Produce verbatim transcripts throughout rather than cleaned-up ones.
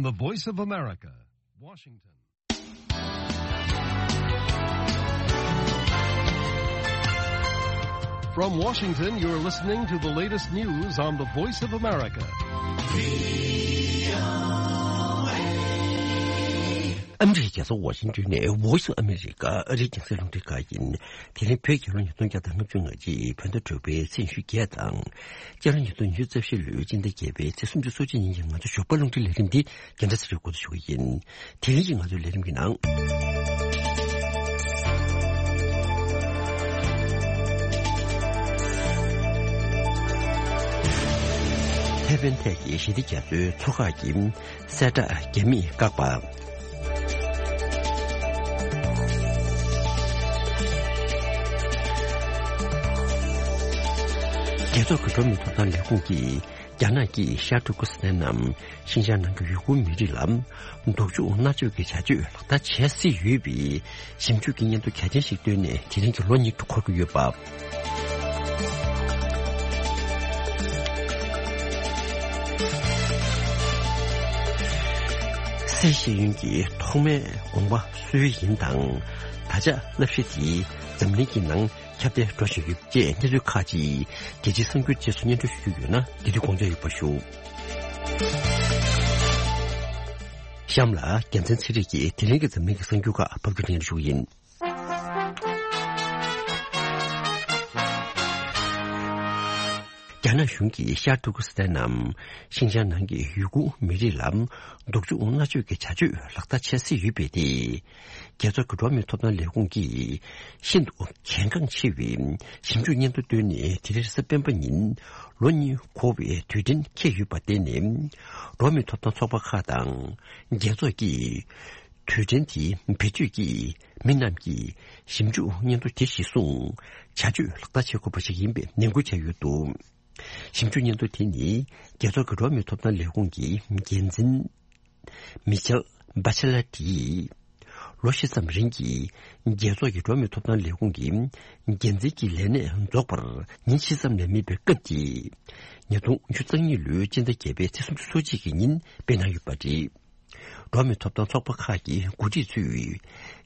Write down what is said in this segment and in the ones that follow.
The Voice of America, Washington. From Washington, you're listening to the latest news on the Voice of America. ཨ་མི་རི་ཀའི་རྒྱལ་ས་ཝ་ཤིང་ཏོན་ནས་Voice of America ཨ་རིའི་རྒྱང་སྲིང་རླུང་འཕྲིན་ཁང་ཡིན། དེ་རིང་བོད་རྒྱལ་ལོ་ཉིས་སྟོང་བརྒྱ་དང་ལྔ་བཅུ་ང་གཅིག་བོད་ཟླ་དྲུག་པའི་ཚེས་ཉི་ཤུ་བརྒྱད་དང་། སྤྱི་ལོ་ཉིས་སྟོང་ཉི་ཤུ་རྩ་བཞི་ལོའི་སྤྱི་ཟླ་བརྒྱད་པའི་ཚེས་སུམ་ཅུ་སོ་གཅིག་ཉིན་གྱི་ང་ཚོ་ཞོགས་པ་རླུང་འཕྲིན་ལས་རིམ་འདི་རྒན་བདག་ཚེ་རིང་འགོ་འཛུགས་ཞུ་གི་ཡིན། དེ་རིང་གི་ང་ཚོའི་ལས་རིམ་གྱི་ནང་། ཐའེ་ཝན་ཐད་ཀྱི་ཞི་བདེ་རྒྱ་མཚོའི་མཚོ་ཁག་གི་གསལ་བསྒྲགས་རྒྱ་མིས་བཀག་པ། རྒྱལ་ཚོགས་ཀྱི་འགྲོ་བ་མིའི་ཐོབ་ཐང་ལས་ཁུངས་ཀྱིས། རྒྱ་ནག་གིས་ཤར་ཏུར་ཀི་སི་ཐན་ནམ་ཤིན་ཅང་ནང་གི་ཡུ་གུར་མི་རིགས་ལ་སྡུག་སྦྱོང་མནར་གཅོད་ཀྱི་བྱ་སྤྱོད་ལག་བསྟར་བྱས་སྲིད་ཡོད་པའི་ཞིབ་འཇུག་གི་སྙན་ཐོ་གལ་ཆེན་ཞིག་བཏོན་ནས་དེ་རིང་གི་ལོ་གཉིས་འཁོར་གྱི་ཡོད་པ། སའི་ཤེས་ཡོན་གྱི་ཐོག་མའི་དགོངས་པ་སུ་ཡིན་དང་། ད་ཆ་བསླབ་གཞི་དེ་འཛམ་གླིང་གི་ནང་ཁྱབ་གདལ་འགྲོ་བཞིན་ཡོད་ཅེས་གནས་ཚུལ་ཁག་ཅིག་རྒྱལ་སྤྱིའི་གསར་འགྱུར་རྗེས་སུ་སྙན་སྒྲོན་ཞུ་རྒྱུ་ཡོད་ན། དེ་དུས་དགོངས་འཇགས་ཡོད་པ་ཞུ། གཤམ་ལ་རྒྱལ་མཚན་ཚེ་རིང་གིས་དེ་རིང་གི་འཛམ་གླིང་གི་གསར་འགྱུར་ཁག་ཕབ་སྒྱུར་སྙན་སྒྲོན་ཞུ་གི་ཡིན། རྒྱ་ནག་གཞུང་གིས་ཤར་ཏུར་ཀི་སི་ཐན་ནམ་ཤིན་ཅང་ནང་གི་ཡུ་གུར་མི་རིགས་ལ་སྡུག་སྦྱོང་མནར་གཅོད་ཀྱི་བྱ་སྤྱོད་ལག་བསྟར་བྱས་སྲིད་ཡོད་པས་ཏེ། རྒྱལ་ཚོགས་ཀྱི་འགྲོ་བ་མིའི་ཐོབ་ཐང་ལས་ཁུངས་ཀྱིས་ཤིན་ཏུ་གལ་འགངས་ཆེ་བའི་ཞིབ་འཇུག་སྙན་ཐོ་བཏོན་ནས། དེ་རིང་རེས་གཟའ་སྤེན་པ་ཉིན་ལོ་གཉིས་འཁོར་བའི་དུས་དྲན་འཁེལ་ཡོད་པར་བརྟེན་ནས། འགྲོ་བ་མིའི་ཐོབ་ཐང་ཚོགས་པ་ཁག་དང་རྒྱལ་ཚོགས་ཀྱིས་དུས་དྲན་དེ་བེད་སྤྱོད་ཀྱིས་མི་རྣམས་ཀྱིས་ཞིབ་འཇུག་སྙན་ཐོ་དེ་གཞིར་བཟུང་བྱ་སྤྱོད་ལག་བསྟར་བྱེད་དགོས་པ་ཞིག་ཡིན་པའི་ནན་སྐུལ་བྱས་ཡོད་འདུག། ཞིབ་འཇུག་སྙན་ཐོ་དེ་ནི་རྒྱལ་ཚོགས་ཀྱི་འགྲོ་བ་མིའི་ཐོབ་ཐང་ལས་ཁུངས་ཀྱི་འགན་འཛིན་མི་ཆེལ་བྷ་ཆེ་ལ་ཏིས་ལོ་བཞི་ཙམ་རིང་གི་རྒྱལ་ཚོགས་ཀྱི་འགྲོ་བ་མིའི་ཐོབ་ཐང་ལས་ཁུངས་ཀྱི་འགན་འཛིན་གྱི་ལས་གནས་རྫོགས་པར་ཉིན་བཞི་ཙམ་ལས་མེད་པའི་སྐབས་ཀྱི་ཉིས་སྟོང་ཉི་ཤུ་རྩ་གཉིས་ལོའི་སྤྱི་ཟླ་བརྒྱད་པའི་ཚེས་སུམ་ཅུ་སོ་གཅིག་གི་ཉིན་སྤེལ་གནང་ཡོད་པ་རེད། འགྲོ་བ་མིའི་ཐོབ་ཐང་ཚོགས་པ་ཁག་གི་འགོ་ཁྲིད་ཚོས་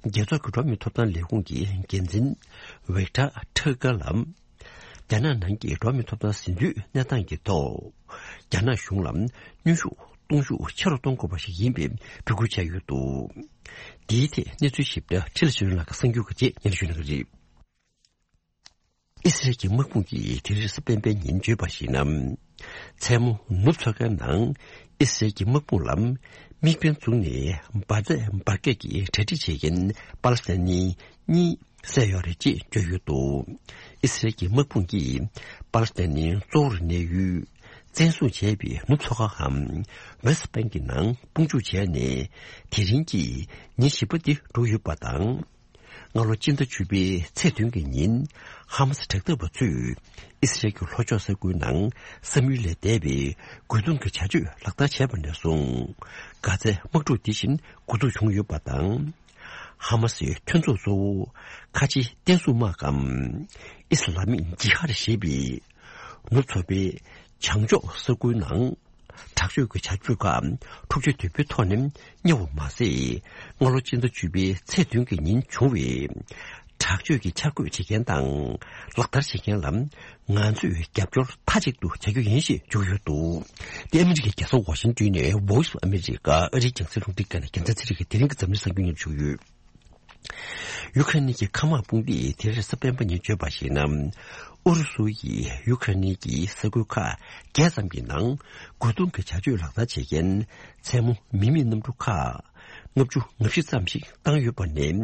རྒྱལ་ཚོགས་ཀྱི་འགྲོ་བ་མིའི་ཐོབ་ཐང་ལས་ཁུངས་ཀྱི་འགན་འཛིན་ཝེག་ཏྲ་ཁྲ་ཀ་ལ། རྒྱ་ནག་ནང་གི་འགྲོ་བ་མིའི་ཐོབ་ཐང་ཟིན་ཐོའི་གནས་སྟངས་ཀྱི་ཐོག་རྒྱ་ནག་གཞུང་ལ་གནོན་ཤུགས་གཏོང་ཤུགས་ཆེ་རུ་གཏོང་དགོས་པ་ཞིག་ཡིན་པའི་འབོད་སྐུལ་བྱས་ཡོད་འདུག། འདིའི་ཐད་གནས་ཚུལ་ཞིབ་ཕྲ་འཕྲིན་ལས་ཆོས་སྒྲོན་ལགས་ཀྱིས་གསར་འགྱུར་གྱི་རྗེས་སྙན་ཞུ་གནང་གི་རེད། ཨི་སི་རལ་གྱི་དམག་དཔུང་གིས་དེ་རིང་རེས་གཟའ་སྤེན་པའི་ཉིན་བརྗོད་པར་གཞིགས་ན། མཚན་མོ་ནུབ་མཚོ་ཁའི་ནང་ཨི་སི་རལ་གྱི་དམག་དཔུང་ལ་དམིགས་འབེན་བཙུགས་ནས་འབར་རྫས་འབར་གས་ཀྱི་གྲ་སྒྲིག་བྱེད་མཁན་པ་ལི་སི་ཐན་ནི་གཉིས་བསད་ཡོད་རེད་ཅེས་བརྗོད་ཡོད་འདུག། ཨི་སི་རལ་གྱི་དམག་དཔུང་གིས་པ་ལི་སི་ཐན་ནི་གཙོ་བོར་གནས་ཡུལ་བཙན་བཟུང་བྱས་པའི་ནུབ་མཚོ་ཁའམ་West Bank གི་ནང་དཔུང་འཇུག་བྱས་ནས་དེ་རིང་གི་ཉིན་བཞི་པ་འདི་འགྲོ་ཡོད་པ་དང་། སྔ་ལོ་སྤྱི་ཟླ་བཅུ་པའི་ཚེས་བདུན་གྱི་ཉིན་ཧ་མ་སི་དྲག་འཐབ་པ་ཚོས་ཨི་སི་རལ་གྱི་ལྷོ་ཕྱོགས་ས་ཁུལ་ནང་བསམ་ཡུལ་ལས་འདས་པའི་རྒོལ་རྡུང་གི་བྱ་སྤྱོད་ལག་བསྟར་བྱས་པ་ནས་བཟུང་གྷ་ཛའི་དམག་འཁྲུག་འདི་བཞིན་འགོ་འཛུགས་བྱུང་ཡོད་པ་དང་། ཧ་མ་སིའི་མཐུན་ཚོགས་གཙོ་བོ་ཁ་ཆེ་བསྟན་སྲུང་དམག་གམ་ཨི་སི་ལ་མིག་ཇི་ཧར་ཞེས་པའི་ནུབ་མཚོ་པའི་བྱང་ཕྱོགས་ས་ཁུལ་ནང་དྲག་སྤྱོད་ཀྱི་བྱ་སྤྱོད་ཁག་འཁྲུག་ཆ་དོད་པོའི་ཐོག་ནས་གཉེར་བ་མ་ཟད། སྔ་ལོ་སྤྱི་ཟླ་བཅུ་པའི་ཚེས་བདུན་གྱི་ཉིན་བྱུང་བའི་དྲག་སྤྱོད་ཀྱི་འཆར་འགོད་བྱེད་མཁན་དང་ལག་བསྟར་བྱེད་མཁན་ལ་ང་ཚོས་རྒྱབ་སྐྱོར་མཐའ་གཅིག་ཏུ་བྱ་རྒྱུ་ཡིན་ཞེས་བརྗོད་ཡོད་འདུག། དེ་ཨ་མི་རི་ཀའི་རྒྱལ་ས་ཝ་ཤིང་ཏོན་ནས་Voice of America ཨ་རིའི་རྒྱང་སྲིང་རླུང་འཕྲིན་ཁང་ནས་རྒྱལ་མཚན་ཚེ་རིང་གིས་དེ་རིང་གི་འཛམ་གླིང་གསར་འགྱུར་སྙན་ཞུ་ཡོད། ཡུ་ཁ་རེན་གྱི་མཁའ་དམག་དཔུང་སྡེས་དེ་རིང་རེས་གཟའ་སྤེན་པ་ཉིན་བརྗོད་པར་གཞིགས་ན། ཨུ་རུ་སུ་ཡིས་ཡུ་ཁ་རེན་གྱི་ས་ཁུལ་ཁག་བརྒྱད་ཙམ་གྱི་ནང་རྒོལ་རྡུང་གི་བྱ་སྤྱོད་ལག་བསྟར་བྱེད་མཁན་མཚན་མོ་མི་མེད་གནམ་གྲུ་ཁག་ལྔ་བཅུ་ང་བཞི་ཙམ་ཞིག་བཏང་ཡོད་པ་ནས།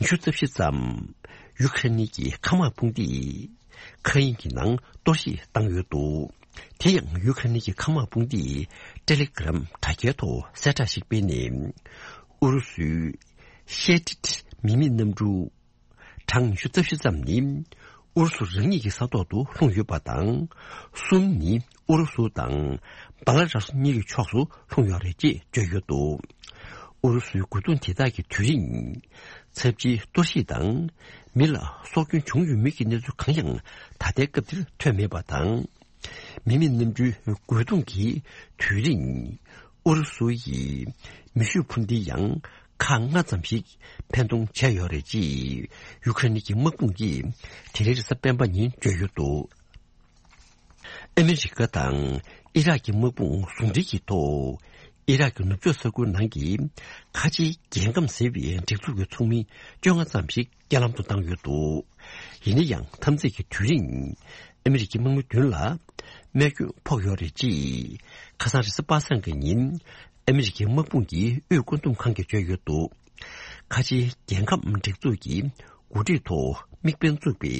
ཉི་ཤུ་རྩ་བཞི་ཙམ་ཡུ་ཁ་རེན་གྱི་མཁའ་དམག་དཔུང་སྡེས་མཁའ་དབྱིངས་ཀྱི་ནང་གཏོར་བཤིག་བཏང་ཡོད་འདུག། དེ་ཡང་ཡུ་ཁ་རེན་གྱི་མཁའ་དམག་དཔུང་སྡེས་ཊེ་ལི་གྷི་རམ་དྲ་རྒྱའི་ཐོག་གསལ་བསྒྲགས་ཤིག་སྤེལ་ནས། ཨུ་རུ་སུའི་ཤེ་ཏིད་མི་མེད་གནམ་གྲུ་གྲངས་ཉི་ཤུ་རྩ་བཞི་ཙམ་ནི་ཨུ་རུ་སུ་རང་ཉིད་ཀྱི་ས་ཐོག་ཏུ་ལྷུང་ཡོད་པ་དང་། གསུམ་ནི་ཨུ་རུ་སུ་དང་བ་ལ་ར་སུ་གཉིས་ཀྱི་ཕྱོགས་སུ་ལྷུང་ཡོད་རེད་ཅེས་བརྗོད་ཡོད་འདུག། ཨུ་རུ་སུའི་རྒོལ་རྡུང་དེ་དག་གི་དུས་རིང་། ཚབས་ཆེའི་གཏོར་བཤིག་དང་མི་ལ་སྲོག་སྐྱོན་བྱུང་ཡོད་མེད་ཀྱི་གནས་ཚུལ་གང་ཡང་ད་ལྟའི་སྐབས་འདིར་ཐོན་མེད་པ་དང་། མི་མེད་གནམ་གྲུའི་རྒོལ་རྡུང་གི་དུས་རིང་ ཨུ་རུ་སུ་ཡིས་མེ་ཤུགས་འཕུར་མདེལ་ཡང་ཁག་ལྔ་ཙམ་ཞིག་འཕེན་གཏོང་བྱས་ཡོད་རེད་ཅེས་ཡུ་ཁ་རེན་གྱི་དམག་དཔུང་གིས་དེ་རིང་རེས་གཟའ་སྤེན་པ་ཉིན་བརྗོད་ཡོད་འདུག། ཨ་མི་རི་ཀ་དང་ཨི་རག་གི་དམག་དཔུང་ཟུང་འབྲེལ་གྱི་ཐོག་ཨི་རག་གི་ནུབ་ཕྱོགས་ས་ཁུལ་ནང་གི་ཁ་ཆེའི་རྒྱལ་ཁམས་ཟེར་བའི་སྒྲིག་འཛུགས་ཀྱི་ཚོགས་མི་བཅོ་ལྔ་ཙམ་ཞིག་རྐྱེན་ལམ་དུ་བཏང་ཡོད་འདུག། ཡིན་ན་ཡང་འཐབ་འཛིང་གི་དུས་རིང་ཨ་མི་རི་ཀའི་དམག་མི་བདུན་ལ་རྨས་སྐྱོན་ཕོག་ཡོད་རེད་ཅེས་ཁ་སང་རེས་གཟའ་པ་སངས་ཀྱི་ཉིན་ཨ་མི་རི་ཀའི་དམག་དཔུང་གི་དབུས་བཀོད་འདོམས་ཁང་གིས་བརྗོད་ཡོད་འདུག། ཁ་ཆེའི་རྒྱལ་ཁམས་སྒྲིག་འཛུགས་ཀྱི་འགོ་ཁྲིད་ཐོག་དམིགས་འབེན་བཙུགས་པའི་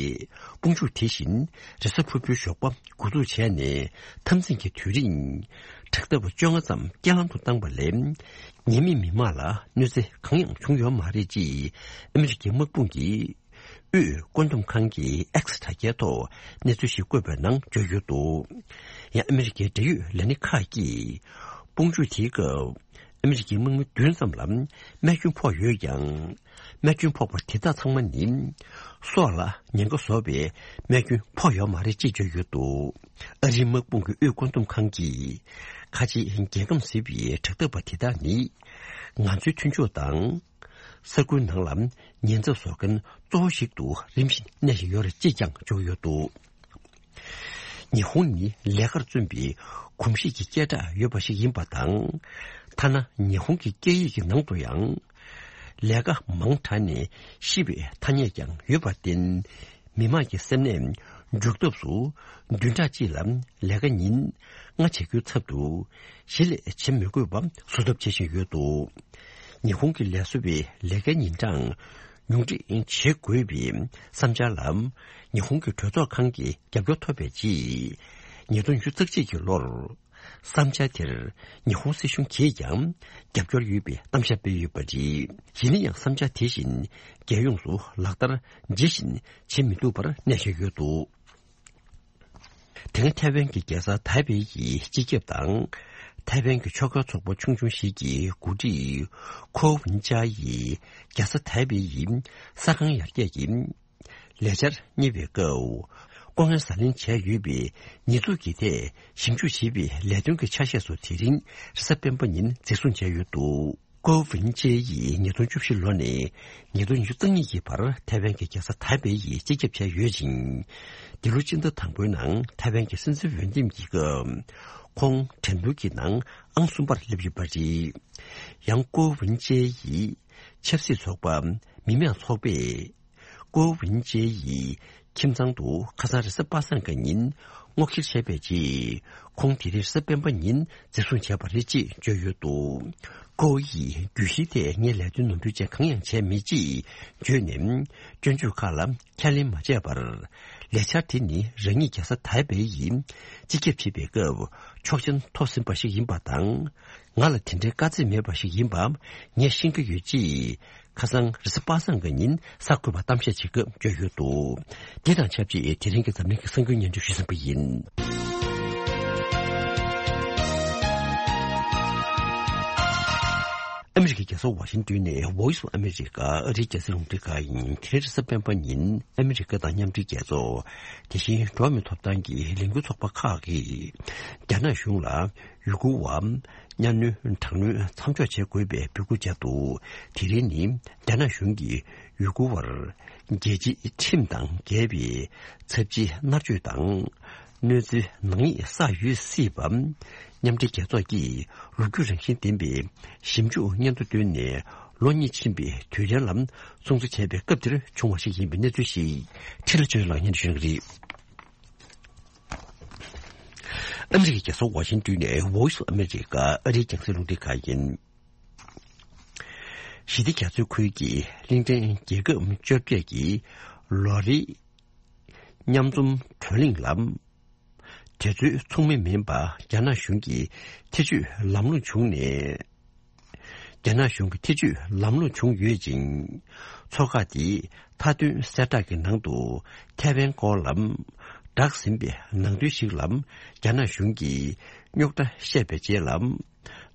དཔུང་འཇུག་དེ་བཞིན་རེས་གཟའ་ཕུར་བུའི་ཞོགས་པ་འགོ་འཛུགས་བྱས་ནས་འཐབ་འཛིང་གི་དུས་རིང་དྲག་འཐབ་པ་བཅོ་ལྔ་ཙམ་རྐྱེན་ལམ་དུ་བཏང་པ་ལས་ཉེས་མེད་མི་མང་ལ་གནོད་འཚེ་གང་ཡང་བྱུང་ཡོད་མ་རེད་ཅེས་ཨ་མི་རི་ཀའི་དམག་དཔུང་གིས་དབུས་བཀོད་འདོམས་ཁང་གི་X་དྲ་རྒྱའི་ཐོག་གནས་ཚུལ་ཞིག་བཀོད་པའི་ནང་བརྗོད་ཡོད་འདུག། ཡང་ཨ་མི་རི་ཀའི་འབྲེལ་ཡོད་ལས་སྣེ་ཁག་གིས་དཔུང་འཇུག་དེའི་སྐབས་ཨ་མི་རི་ཀའི་དམག་མི་བདུན་ཙམ་ལ་རྨས་སྐྱོན་ཕོག་ཡོད་ཀྱང་། རྨས་སྐྱོན་ཕོག་པ་དེ་དག་ཚང་མ་ནི་སྲོག་ལ་ཉེན་ཁ་བཟོ་བའི་རྨས་སྐྱོན་ཕོག་ཡོད་མ་རེད་ཅེས་བརྗོད་ཡོད་འདུག། ཨ་རིའི་དམག་དཔུང་གི་དབུས་བཀོད་འདོམས་ཁང་གིས་ཁ་ཆེའི་རྒྱལ་ཁམས་ཟེར་བའི་དྲག་འཐབ་པ་དེ་དག་ནི་ང་ཚོའི་མཐུན་ཕྱོགས་དང་། ས་ཁུལ་ནང་ལ་ཉེན་ཚབས་བཟོ་མཁན་གཙོ་བོ་ཞིག་ཏུ་རིམ་བཞིན་གནས་བཞིན་ཡོད་རེད་ཅེས་ཀྱང་བརྗོད་ཡོད་འདུག། ཉི་ཧོང་ནི་ལས་ཀར་བརྩོན་པའི་གོམས་གཤིས་ཀྱི་སྐད་གྲགས་ཡོད་པ་ཞིག་ཡིན་པ་དང་། ཐ་ན་ཉི་ཧོང་གི་སྐད་ཡིག་གི་ནང་དུ་ཡང་ལས་ཀ་མང་དྲགས་ནས་ཤི་བའི་ཐ་སྙད་ཀྱང་ཡོད་པར་བརྟེན། མི་དམངས་ཀྱི་སེམས་ནད་འཇུག་ཐབས་སུ་བདུན་ཕྲག་གཅིག་ལ་ལས་ཀ་ཉིན་ལྔ་བྱེད་རྒྱུའི་ཚབ་ཏུ་གཞི་ལས་བྱེད་མི་དགོས་པ་བཟོ་ཐབས་བྱེད་བཞིན་ཡོད་འདུག། ཉི་ཧོང་གི་ལས་བཟོ་བའི་ལས་ཀའི་ཉིན་གྲངས་ཉུང་འཕྲི་བྱེད་དགོས་པའི་བསམ་འཆར་ལ་ཉི་ཧོང་གི་གྲོས་ཚོགས་ཁང་གི་རྒྱབ་སྐྱོར་ཐོབ་པའི་རྗེས། ཉིས་སྟོང་ཉི་ཤུ་རྩ་གཅིག་གི་ལོར་བསམ་འཆར་དེར་ཉི་ཧོང་སྲིད་གཞུང་གིས་ཀྱང་རྒྱབ་སྐྱོར་ཡོད་པའི་གཏམ་བཤད་སྤེལ་ཡོད་པ་རེད། ཡིན་ན་ཡང་བསམ་འཆར་དེ་བཞིན་རྒྱལ་ཡོངས་སུ་ལག་བསྟར་ཇི་བཞིན་བྱེད་མི་ཐུབ་པར་གནས་བཞིན་ཡོད་འདུག། དེ་སྔ་ཐའེ་ཝན་གྱི་རྒྱལ་ས་ཐའེ་པེ་ཡི་སྤྱི་ཁྱབ་དང་། ཐའེ་ཝན་གྱི་ཆོལ་ཁ་ཚོགས་པ་ཆུང་ཆུང་ཞིག་གི་འགོ་ཁྲིད་ཁོ་ཝུན་ཅཱ་ཡིས་རྒྱལ་ས་ཐའེ་པེ་ཡི་ས་ཁང་ཡར་རྒྱས་ཀྱི་ལས་འཆར་གཉེར་བའི་སྐབས། ལྐོག་རྔན་ཟ་ལེན་བྱས་ཡོད་པའི་ཉེས་འཛུགས་ཀྱི་ཐད་ཞིབ་འཇུག་བྱེད་པའི་ལས་དོན་གྱི་ཆ་ཤས་སུ་དེ་རིང་རེས་གཟའ་སྤེན་པ་ཉིན་འཛིན་བཟུང་བྱས་ཡོད་འདུག། ཀོ་ཝིན་ཅེ་ཡིས་ཉིས་སྟོང་བཅུ་བཞི་ལོ་ནས་ཉིས་སྟོང་ཉི་ཤུ་རྩ་གཉིས་ཀྱི་བར་ཐའེ་ཝན་གྱི་རྒྱལ་ས་ཐའེ་པེ་ཡི་སྤྱི་ཁྱབ་བྱས་ཡོད་ཅིང་། འདི་ལོ་སྤྱི་ཟླ་དང་པོའི་ནང་ཐའེ་ཝན་གྱི་སྲིད་འཛིན་འོས་འདེམས་ཀྱི་སྐབས། ཁོང་འགྲན་བསྡུར་གྱི་ནང་ཨང་གསུམ་པར་སླེབས་ཡོད་པ་རེད། ཡང་ཀོ་ཝིན་ཅེ་ཡིས་ཆབ་སྲིད་ཚོགས་པ་མི་མང་ཚོགས་པས། ཀོ་ཝིན་ཅེ་ཡི་ཁྱིམ་ཚང་དུ་ཁ་སང་རེས་གཟའ་པ་སངས་ཀྱི་ཉིན་སྔོག་འཁྱེར་བྱས་པའི་རྗེས། ཁོང་དེ་རིང་རེས་གཟའ་སྤེན་པ་ཉིན་འཛིན་བཟུང་བྱས་པ་རེད་ཅེས་བརྗོད་ཡོད་འདུག། ཀོ་ཡིས་རྒྱུད་བཞིའི་ཐད་ངས་ལས་དོན་ནོར་འཁྲུལ་ཅན་གང་ཡང་བྱས་མེད་ཅེས་བརྗོད་ནས། སྐྱོན་བརྗོད་ཁག་ལ་ཁས་ལེན་མ་བྱས་པར། ལས་འཆར་དེ་ནི་རང་ཉིད་རྒྱལ་ས་ཐའེ་པེ་ཡིས་སྤྱི་ཁྱབ་བྱེད་པའི་སྐབས་ཆོག་མཆན་ཐོབ་ཟིན་པ་ཞིག་ཡིན་པ་དང་། ང་ལ་དེ་འདྲའི་དཀའ་ཚེགས་མེད་པ་ཞིག་ཡིན་པ་ངས་ཤེས་ཀྱི་ཡོད་ཅེས། ཁ་སང་རེས་གཟའ་པ་སངས་ཀྱི་ཉིན་གསར་འགོད་པར་གཏམ་བཤད་བྱེད་སྐབས་བརྗོད་ཡོད་འདུག། འདི་དང་ཆབས་ཅིག་དེ་རིང་གི་འཛམ་གླིང་གི་གསར་འགྱུར་སྙན་སྒྲོན་ཞུས་ཟིན་པ་ཡིན། ཨ་མི་རི་ཀའི་རྒྱལ་ས་ཝ་ཤིང་ཏོན་ནས་Voice of America ཨ་རིའི་རྒྱང་སྲིང་རླུང་འཕྲིན་ཁང་ཡིན། དེ་རིང་རེས་གཟའ་སྤེན་པ་ཉིན་ཨ་མི་རི་ཀ་དང་མཉམ་འབྲེལ་རྒྱལ་ཚོགས། དེ་བཞིན་འགྲོ་བ་མིའི་ཐོབ་ཐང་གི་ལས་འགུལ་ཚོགས་པ་ཁག་གིས་རྒྱ་ནག་གཞུང་ལ། ཡུ་གུར་བ་གཉའ་གནོན་དྲག་གནོན་མཚམས་འཇོག་བྱེད་དགོས་པའི་འབོད་སྐུལ་བྱས་འདུག། དེ་རིང་ནི་རྒྱ་ནག་གཞུང་གིས་ཡུ་གུར་བར་རྒྱལ་སྤྱིའི་ཁྲིམས་དང་འགལ་བའི་ཚབས་ཆེའི་མནར་གཅོད་དང་གནོད་འཚེའི་ནག་ཉེས་བསགས་ཡོད་སྲིད་པ། མཉམ་འབྲེལ་རྒྱལ་ཚོགས་ཀྱིས་ལོ་རྒྱུས་རང་བཞིན་ལྡན་པའི་ཞིབ་འཇུག་སྙན་ཐོ་བཏོན་ནས་ལོ་གཉིས་ཕྱིན་པའི་དུས་དྲན་ལ་སྲུང་བརྩི་བྱས་པའི་སྐབས་དེར་བྱུང་བ་ཞིག་ཡིན་པའི་གནས་ཚུལ་ཞིག་འཕྲིན་ལས་ཆོས་ལགས་སྙན་སྒྲོན་ཞུ་གི་རེད། ཨ་མི་རི་ཀའི་རྒྱལ་ས་ཝ་ཤིང་ཏོན་ནས་Voice of America ཨ་རིའི་རྒྱང་སྲིང་རླུང་འཕྲིན་ཁང་ཡིན། ཞི་བདེ་རྒྱ་མཚོའི་ཁུལ་གྱི་གླིང་ཕྲན་རྒྱལ་ཁབ་བཅོ་བརྒྱད་ཀྱི་ལོ་རེའི་མཉམ་འཛོམས་བགྲོ་གླེང་ལ། དེ་ཚོའི་ཚོགས་མི་མིན་པ་རྒྱ་ནག་གཞུང་གིས་ཐེ་བྱུས་ལམ་ལྷོང་བྱུང་ནས། རྒྱ་ནག་གཞུང་གི་ཐེ་བྱུས་ལམ་ལྷོང་བྱུང་ཡོད་ཅིང་། ཚོགས་ཁག་དེས་མཐའ་དོན་གསལ་བསྒྲགས་ཀྱི་ནང་དུ་ཐའེ་ཝན་སྐོར་ལ་བསྒྲགས་ཟིན་པའི་ནང་དོན་ཞིག་ལ་རྒྱ་ནག་གཞུང་གིས་རྙོག་དྲ་བཤད་པའི་རྗེས་ལ་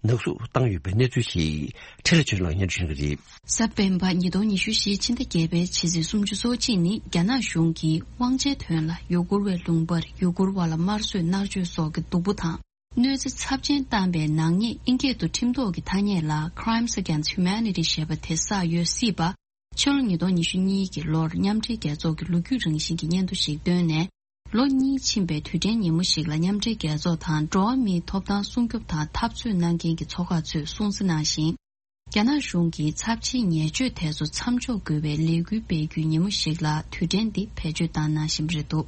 ནག་གསུབ་བཏང་ཡོད་པའི་གནས་ཚུལ་ཞིག་འཕྲིན་ལས་ཆོས་ལགས་སྙན་སྒྲོན་ཞུ་གི་རེད། གཟའ་སྤེན་པ་ཉིས་སྟོང་ཉི་ཤུ་བཞིའི་ཕྱི་ཟླ་བརྒྱད་པའི་ཕྱི་ཚེས་སུམ་ཅུ་སོ་གཅིག་ཉིན་རྒྱ་ནག་གཞུང་གིས་དབང་ཆའི་དོན་ལ་ཡུ་གུར་བའི་ལུང་པར་ཡུ་གུར་བ་ལ་དམར་གསོད་མནར་གཅོད་སོགས་ཀྱི་སྡུག་པོ་དང་། གནོད་འཚེ་ཚབས་ཆེན་བཏང་པའི་ནག་ཉེས་ཨིན་སྐད་དུ་ཁྲིམས་ཐོག་གི་ཐ་སྙད་ལ་Crimes Against Humanity ཞེས་པ་དེ་བསགས་ཡོད་སྲིད་པ། ཕྱི་ལོ་ཉིས་སྟོང་ཉི་ཤུ་གཉིས་ཀྱི་ལོར་མཉམ་འབྲེལ་རྒྱལ་ཚོགས་ཀྱི་ལོ་རྒྱུས་རང་བཞིན་གྱི་སྙན་ཐོ་ཞིག་བཏོན་ནས། ལོ་གཉིས་ཕྱིན་པའི་དུས་དྲན་ཉིན་མོ་ཞིག་ལ་མཉམ་འབྲེལ་རྒྱལ་ཚོགས་དང་འགྲོ་བ་མིའི་ཐོབ་ཐང་སྲུང་སྐྱོབ་དང་འཐབ་རྩོད་གནང་མཁན་གྱི་ཚོགས་ཁག་ཚོས་གསུངས་གསལ་གནང་ཞིང་། རྒྱ་ནག་གཞུང་གིས་ཚབས་ཆེའི་ཉེས་སྤྱོད་དེ་ཚོ་མཚམས་འཇོག་དགོས་པའི་ལས་འགུལ་སྤེལ་རྒྱུའི་ཉིན་མོ་ཞིག་ལ་དུས་དྲན་འདི་བེད་སྤྱོད་བཏང་གནང་བཞིན་པ་རེད་འདུག་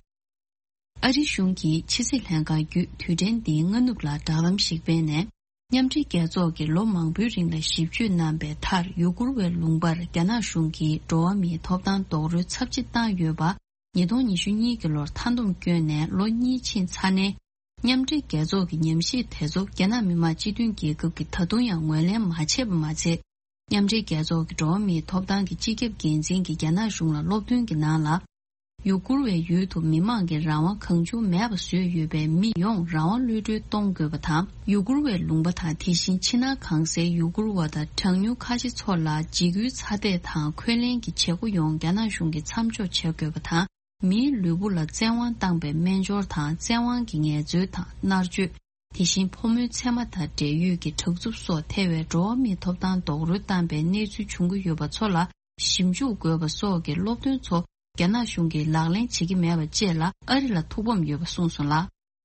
ཨ་རིའི་གཞུང་གིས་ཕྱི་སྲིད་ལྷན་ཁང་བརྒྱུད་དུས་དྲན་འདིའི་སྔ་ནུབ་ལ་དྲ་ལམ་ཞིག་སྤེལ་ནས། མཉམ་འབྲེལ་རྒྱལ་ཚོགས་ཀྱིས་ལོ་མང་པོའི་རིང་ལ་ཞིབ་དཔྱོད་གནང་པའི་མཐར། ཡུ་གུར་བའི་ལུང་པར་རྒྱ་ནག་གཞུང་གིས་འགྲོ་བ་མིའི་ཐོབ་ཐང་རྡོག་རོལ་ཚབས་ཆེ་བཏང་ཡོད་པ། ཉིས་སྟོང་ཉི་ཤུ་གཉིས་ཀྱི་ལོར་མཐའ་སྡོམ་བསྐྱོན་ནས་ལོ་གཉིས་ཕྱིན་ཚར་ནའི། མཉམ་འབྲེལ་རྒྱལ་ཚོགས་ཀྱི་ཉམས་ཞིབ་དེ་ཚོ་རྒྱ་ནག་མི་དམངས་སྤྱི་མཐུན་རྒྱལ་ཁབ་ཀྱིས་ད་དུང་ཡང་ངོས་ལེན་མ་བྱས་པ་མ་ཚད། མཉམ་འབྲེལ་རྒྱལ་ཚོགས་ཀྱི་འགྲོ་བ་མིའི་ཐོབ་ཐང་གི་སྤྱི་ཁྱབ་འགན་འཛིན་གྱིས་རྒྱ་ནག་གཞུང་ལ་སློབ་སྟོན་གྱི་ནང་ལ། ཡུ་གུར་བའི་ཡུལ་དུ་མི་མང་གི་རང་དབང་གང་བྱུང་མེད་པ་བཟོས་ཡོད་པས། མི་ཡོངས་རང་དབང་གློད་གྲོལ་གཏོང་དགོས་པ་དང་། ཡུ་གུར་བའི་ལུང་པ་དང་། དེ་བཞིན་ཕྱི་ནང་གང་སའི་ཡུ་གུར་བ་དང་གྲངས་ཉུང་ཁ་ཆེ་ཚོ་ལ་འཇིགས་སྐུལ་ཚ་འདེད་དང་འཁོན་ལན་གྱི་བྱེད་སྒོ་ཡོངས་རྒྱ་ནག་གཞུང་གིས་མཚམས་འཇོག་བྱེད་དགོས་པ་དང་། མིའི་ལུས་པོ་ལ་བཙན་དབང་བཏང་པའི་སྨན་སྦྱོར་དང་། བཙན་དབང་གི་ངལ་རྩོལ་དང་མནར་གཅོད། དེ་བཞིན་ཕོ་མོའི་མཚན་མ་དང་འབྲེལ་ཡོད་ཀྱི་དྲག་རྩུབ་སོགས་ཐེ་བའི་འགྲོ་བ་མིའི་ཐོབ་ཐང་རྡོག་རོལ་བཏང་པའི་གནས་ཚུལ་བྱུང་གི་ཡོད་པ་ཚོ་ལ་ཞིབ་འཇུག་དགོས་པ་སོགས་ཀྱི་སློབ་སྟོན་ཚོ་རྒྱ་ནག་གཞུང་གིས་ལག་ལེན་བྱེད་ཀྱི་མེད་པ་བཅས་ལ་ཨ་རི་ལ་ཐུགས་ཕམ་ཡོད་པ་གསུངས་སོང་ལ།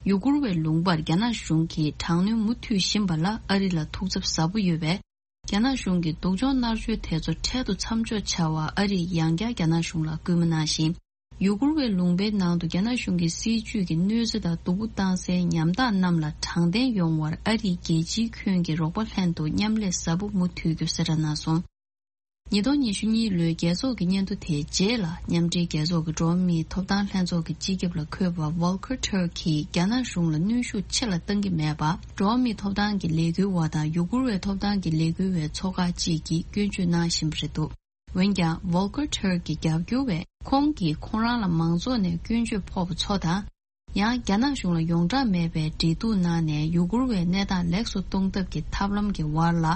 ཡུ་གུར་བའི་ལུང་པར་རྒྱ་ནག་གཞུང་གིས་དྲག་གནོན་མུ་མཐུད་བཞིན་པ་ལ་ཨ་རི་ལ་ཐུགས་འཚབ་ཟབ་པོ་ཡོད་པས། རྒྱ་ནག་གཞུང་གིས་སྡུག་སྦྱོང་མནར་གཅོད་དེ་ཚོ་འཕྲལ་དུ་མཚམས་འཇོག་བྱ་བར་ཨ་རིས་ཡང་བསྐྱར་རྒྱ་ནག་གཞུང་ལ་སྐུལ་མ་གནང་ཞིང་། ཡུ་གུར་བའི་ལུང་པའི་ནང་དུ་རྒྱ་ནག་གཞུང་གི་སྲིད་བྱུས་ཀྱི་གནོད་འཚེ་དང་སྡུག་པོ་བཏང་སའི་ཉམ་ཐག་རྣམས་ལ་དྲང་བདེན་ཡོང་བར་ཨ་རིས་རྒྱལ་སྤྱིའི་ཁྱོན་གྱི་རོགས་པ་ལྷན་དུ་མཉམ་ལས་ཟབ་པོ་མུ་མཐུད་རྒྱུ་གསལ་བསྒྲགས་གནང་སོང་། ཉིས་སྟོང་ཉི་ཤུ་གཉིས་ལོའི་རྒྱལ་ཚོགས་ཀྱི་སྙན་ཐོ་དེའི་རྗེས་ལ། མཉམ་འབྲེལ་རྒྱལ་ཚོགས་ཀྱི་འགྲོ་བ་མིའི་ཐོབ་ཐང་ལྷན་ཚོགས་ཀྱི་སྤྱི་ཁྱབ་ལ་འཁོད་པ་Volker Turk གིས་རྒྱ་ནག་གཞུང་ལ་གནོན་ཤུགས་ཆེ་ལ་གཏང་གི་མེད་པ། འགྲོ་བ་མིའི་ཐོབ་ཐང་གི་ལས་འགུལ་བ་དང་ཡུ་གུར་བའི་ཐོབ་ཐང་གི་ལས་འགུལ་བའི་ཚོགས་ཁག་ཅིག་གིས་སྐྱོན་བརྗོད་གནང་བཞིན་པ་རེད་འདུག་འོན་ཀྱང་། Volker Turk གི་རྒྱབ་སྐྱོར་བས་ཁོང་གིས་ཁོང་རང་ལ་མང་ཚོགས་ནས་སྐྱོན་བརྗོད་ཕོག་པ་ཚོ་དང་། ཡང་རྒྱ་ནག་གཞུང་ལ་ཡོངས་གྲགས་མེད་པའི་འབྲེལ་གཏུག་གནང་ནས་ཡུ་གུར་བའི་གནས་སྟངས་ལེགས་སུ་གཏོང་ཐབས་ཀྱི་ཐབས་ལམ་གྱི་བར་ལ་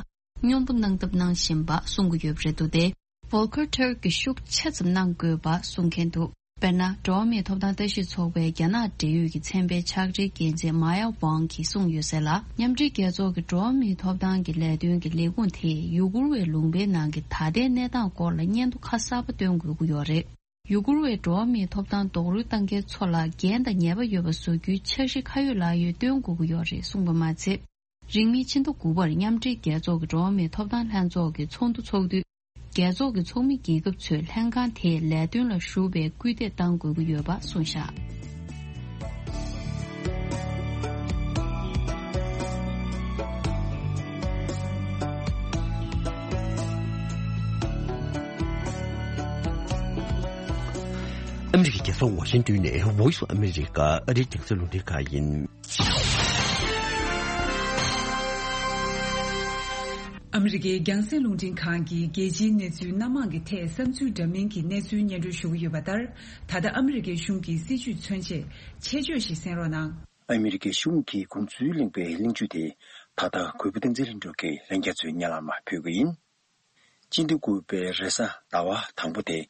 སྙོམས་པོ་གནང་ཐབས་གནང་བཞིན་པ་གསུང་གི་ཡོད་པ་རེད་འདུག་སྟེ། Volker Turk གིས་ཤུགས་ཆེ་ཙམ་གནང་དགོས་པ་གསུང་མཁན་འདུག་དཔེར་ན། འགྲོ་བ་མིའི་ཐོབ་ཐང་ལྟ་ཞིབ་ཚོགས་པའི་རྒྱ་ནག་འབྲེལ་ཡོད་ཀྱི་ཚན་པའི་ཕྱག་སྦྲེལ་འགན་འཛིན་Maya Wang གིས་གསུངས་ཡོད་གསལ་ལ། མཉམ་འབྲེལ་རྒྱལ་ཚོགས་ཀྱི་འགྲོ་བ་མིའི་ཐོབ་ཐང་གི་ལས་དོན་གྱི་ལས་ཁུངས་དེས་ཡུ་གུར་བའི་ལུང་པའི་ནང་གི་ད་ལྟའི་གནས་སྟངས་སྐོར་ལ་སྙན་ཐོ་ཁ་གསར་པ་བཏོན་དགོས་ཀྱི་ཡོད་རེད། ཡུ་གུར་བའི་འགྲོ་བ་མིའི་ཐོབ་ཐང་རྡོག་རོལ་བཏང་མཁན་ཚོ་ལ་འགན་དང་ཉེས་པ་ཡོད་པ་བཟོ་རྒྱུའི་འཆར་གཞི་ཁ་ཡོད་ལག་ཡོད་བཏོན་དགོས་ཀྱི་ཡོད་རེད་གསུངས་པ་མ་ཚད། རིང་མིན་ཕྱི་ཟླ་དགུ་པར་མཉམ་འབྲེལ་རྒྱལ་ཚོགས་ཀྱི་འགྲོ་བ་མིའི་ཐོབ་ཐང་ལྷན་ཚོགས་ཀྱི་ཚོགས་འདུ་འཚོགས་དུས། རྒྱལ་ཚོགས་ཀྱི་ཚོགས་མི་རྒྱལ་ཁབ་ཚོས་ལྷན་ཁང་དེའི་ལས་དོན་ལ་ཞུགས་པའི་སྐུལ་འདེད་གཏང་དགོས་ཀྱི་ཡོད་པ་གསུངས་བཞག་ཨ་མི་རི་ཀའི་རྒྱལ་ས་ཝ་ཤིང་ཏོན་ནས་Voice of America ཨ་རིའི་རྒྱང་སྲིང་རླུང་འཕྲིན་ཁང་ཡིན། ཨ་མི་རི་ཀའི་རྒྱང་སྲིང་རླུང་འཕྲིན་ཁང་གིས་རྒྱལ་སྤྱིའི་གནས་ཚུལ་སྣ་མང་གི་ཐད་བསམ་ཚུལ་འདྲ་མིན་གྱི་གནས་ཚུལ་སྙན་སྒྲོན་ཞུ་གི་ཡོད་པ་ལྟར། ད་ལྟ་ཨ་མི་རི་ཀའི་གཞུང་གི་སྲིད་བྱུས་མཚོན་ཆེད་ཆེད་བརྗོད་ཞིག་གསན་རོགས་གནང་། ཨ་མི་རི་ཀའི་གཞུང་གིས་དགོངས་ཚུལ་གླེང་པའི་གླེང་བརྗོད་དེ་ད་ལྟ་གུས་པ་བསྟན་འཛིན་ལྷུན་གྲུབ་ཀྱིས་ལྷན་རྒྱས་ཚོའི་སྙན་ལམ་ཕུལ་གྱི་ཡིན། སྤྱི་ཟླ་དགུ་པའི་རེས་གཟའ་ཟླ་བ་དང་པོ་དེ།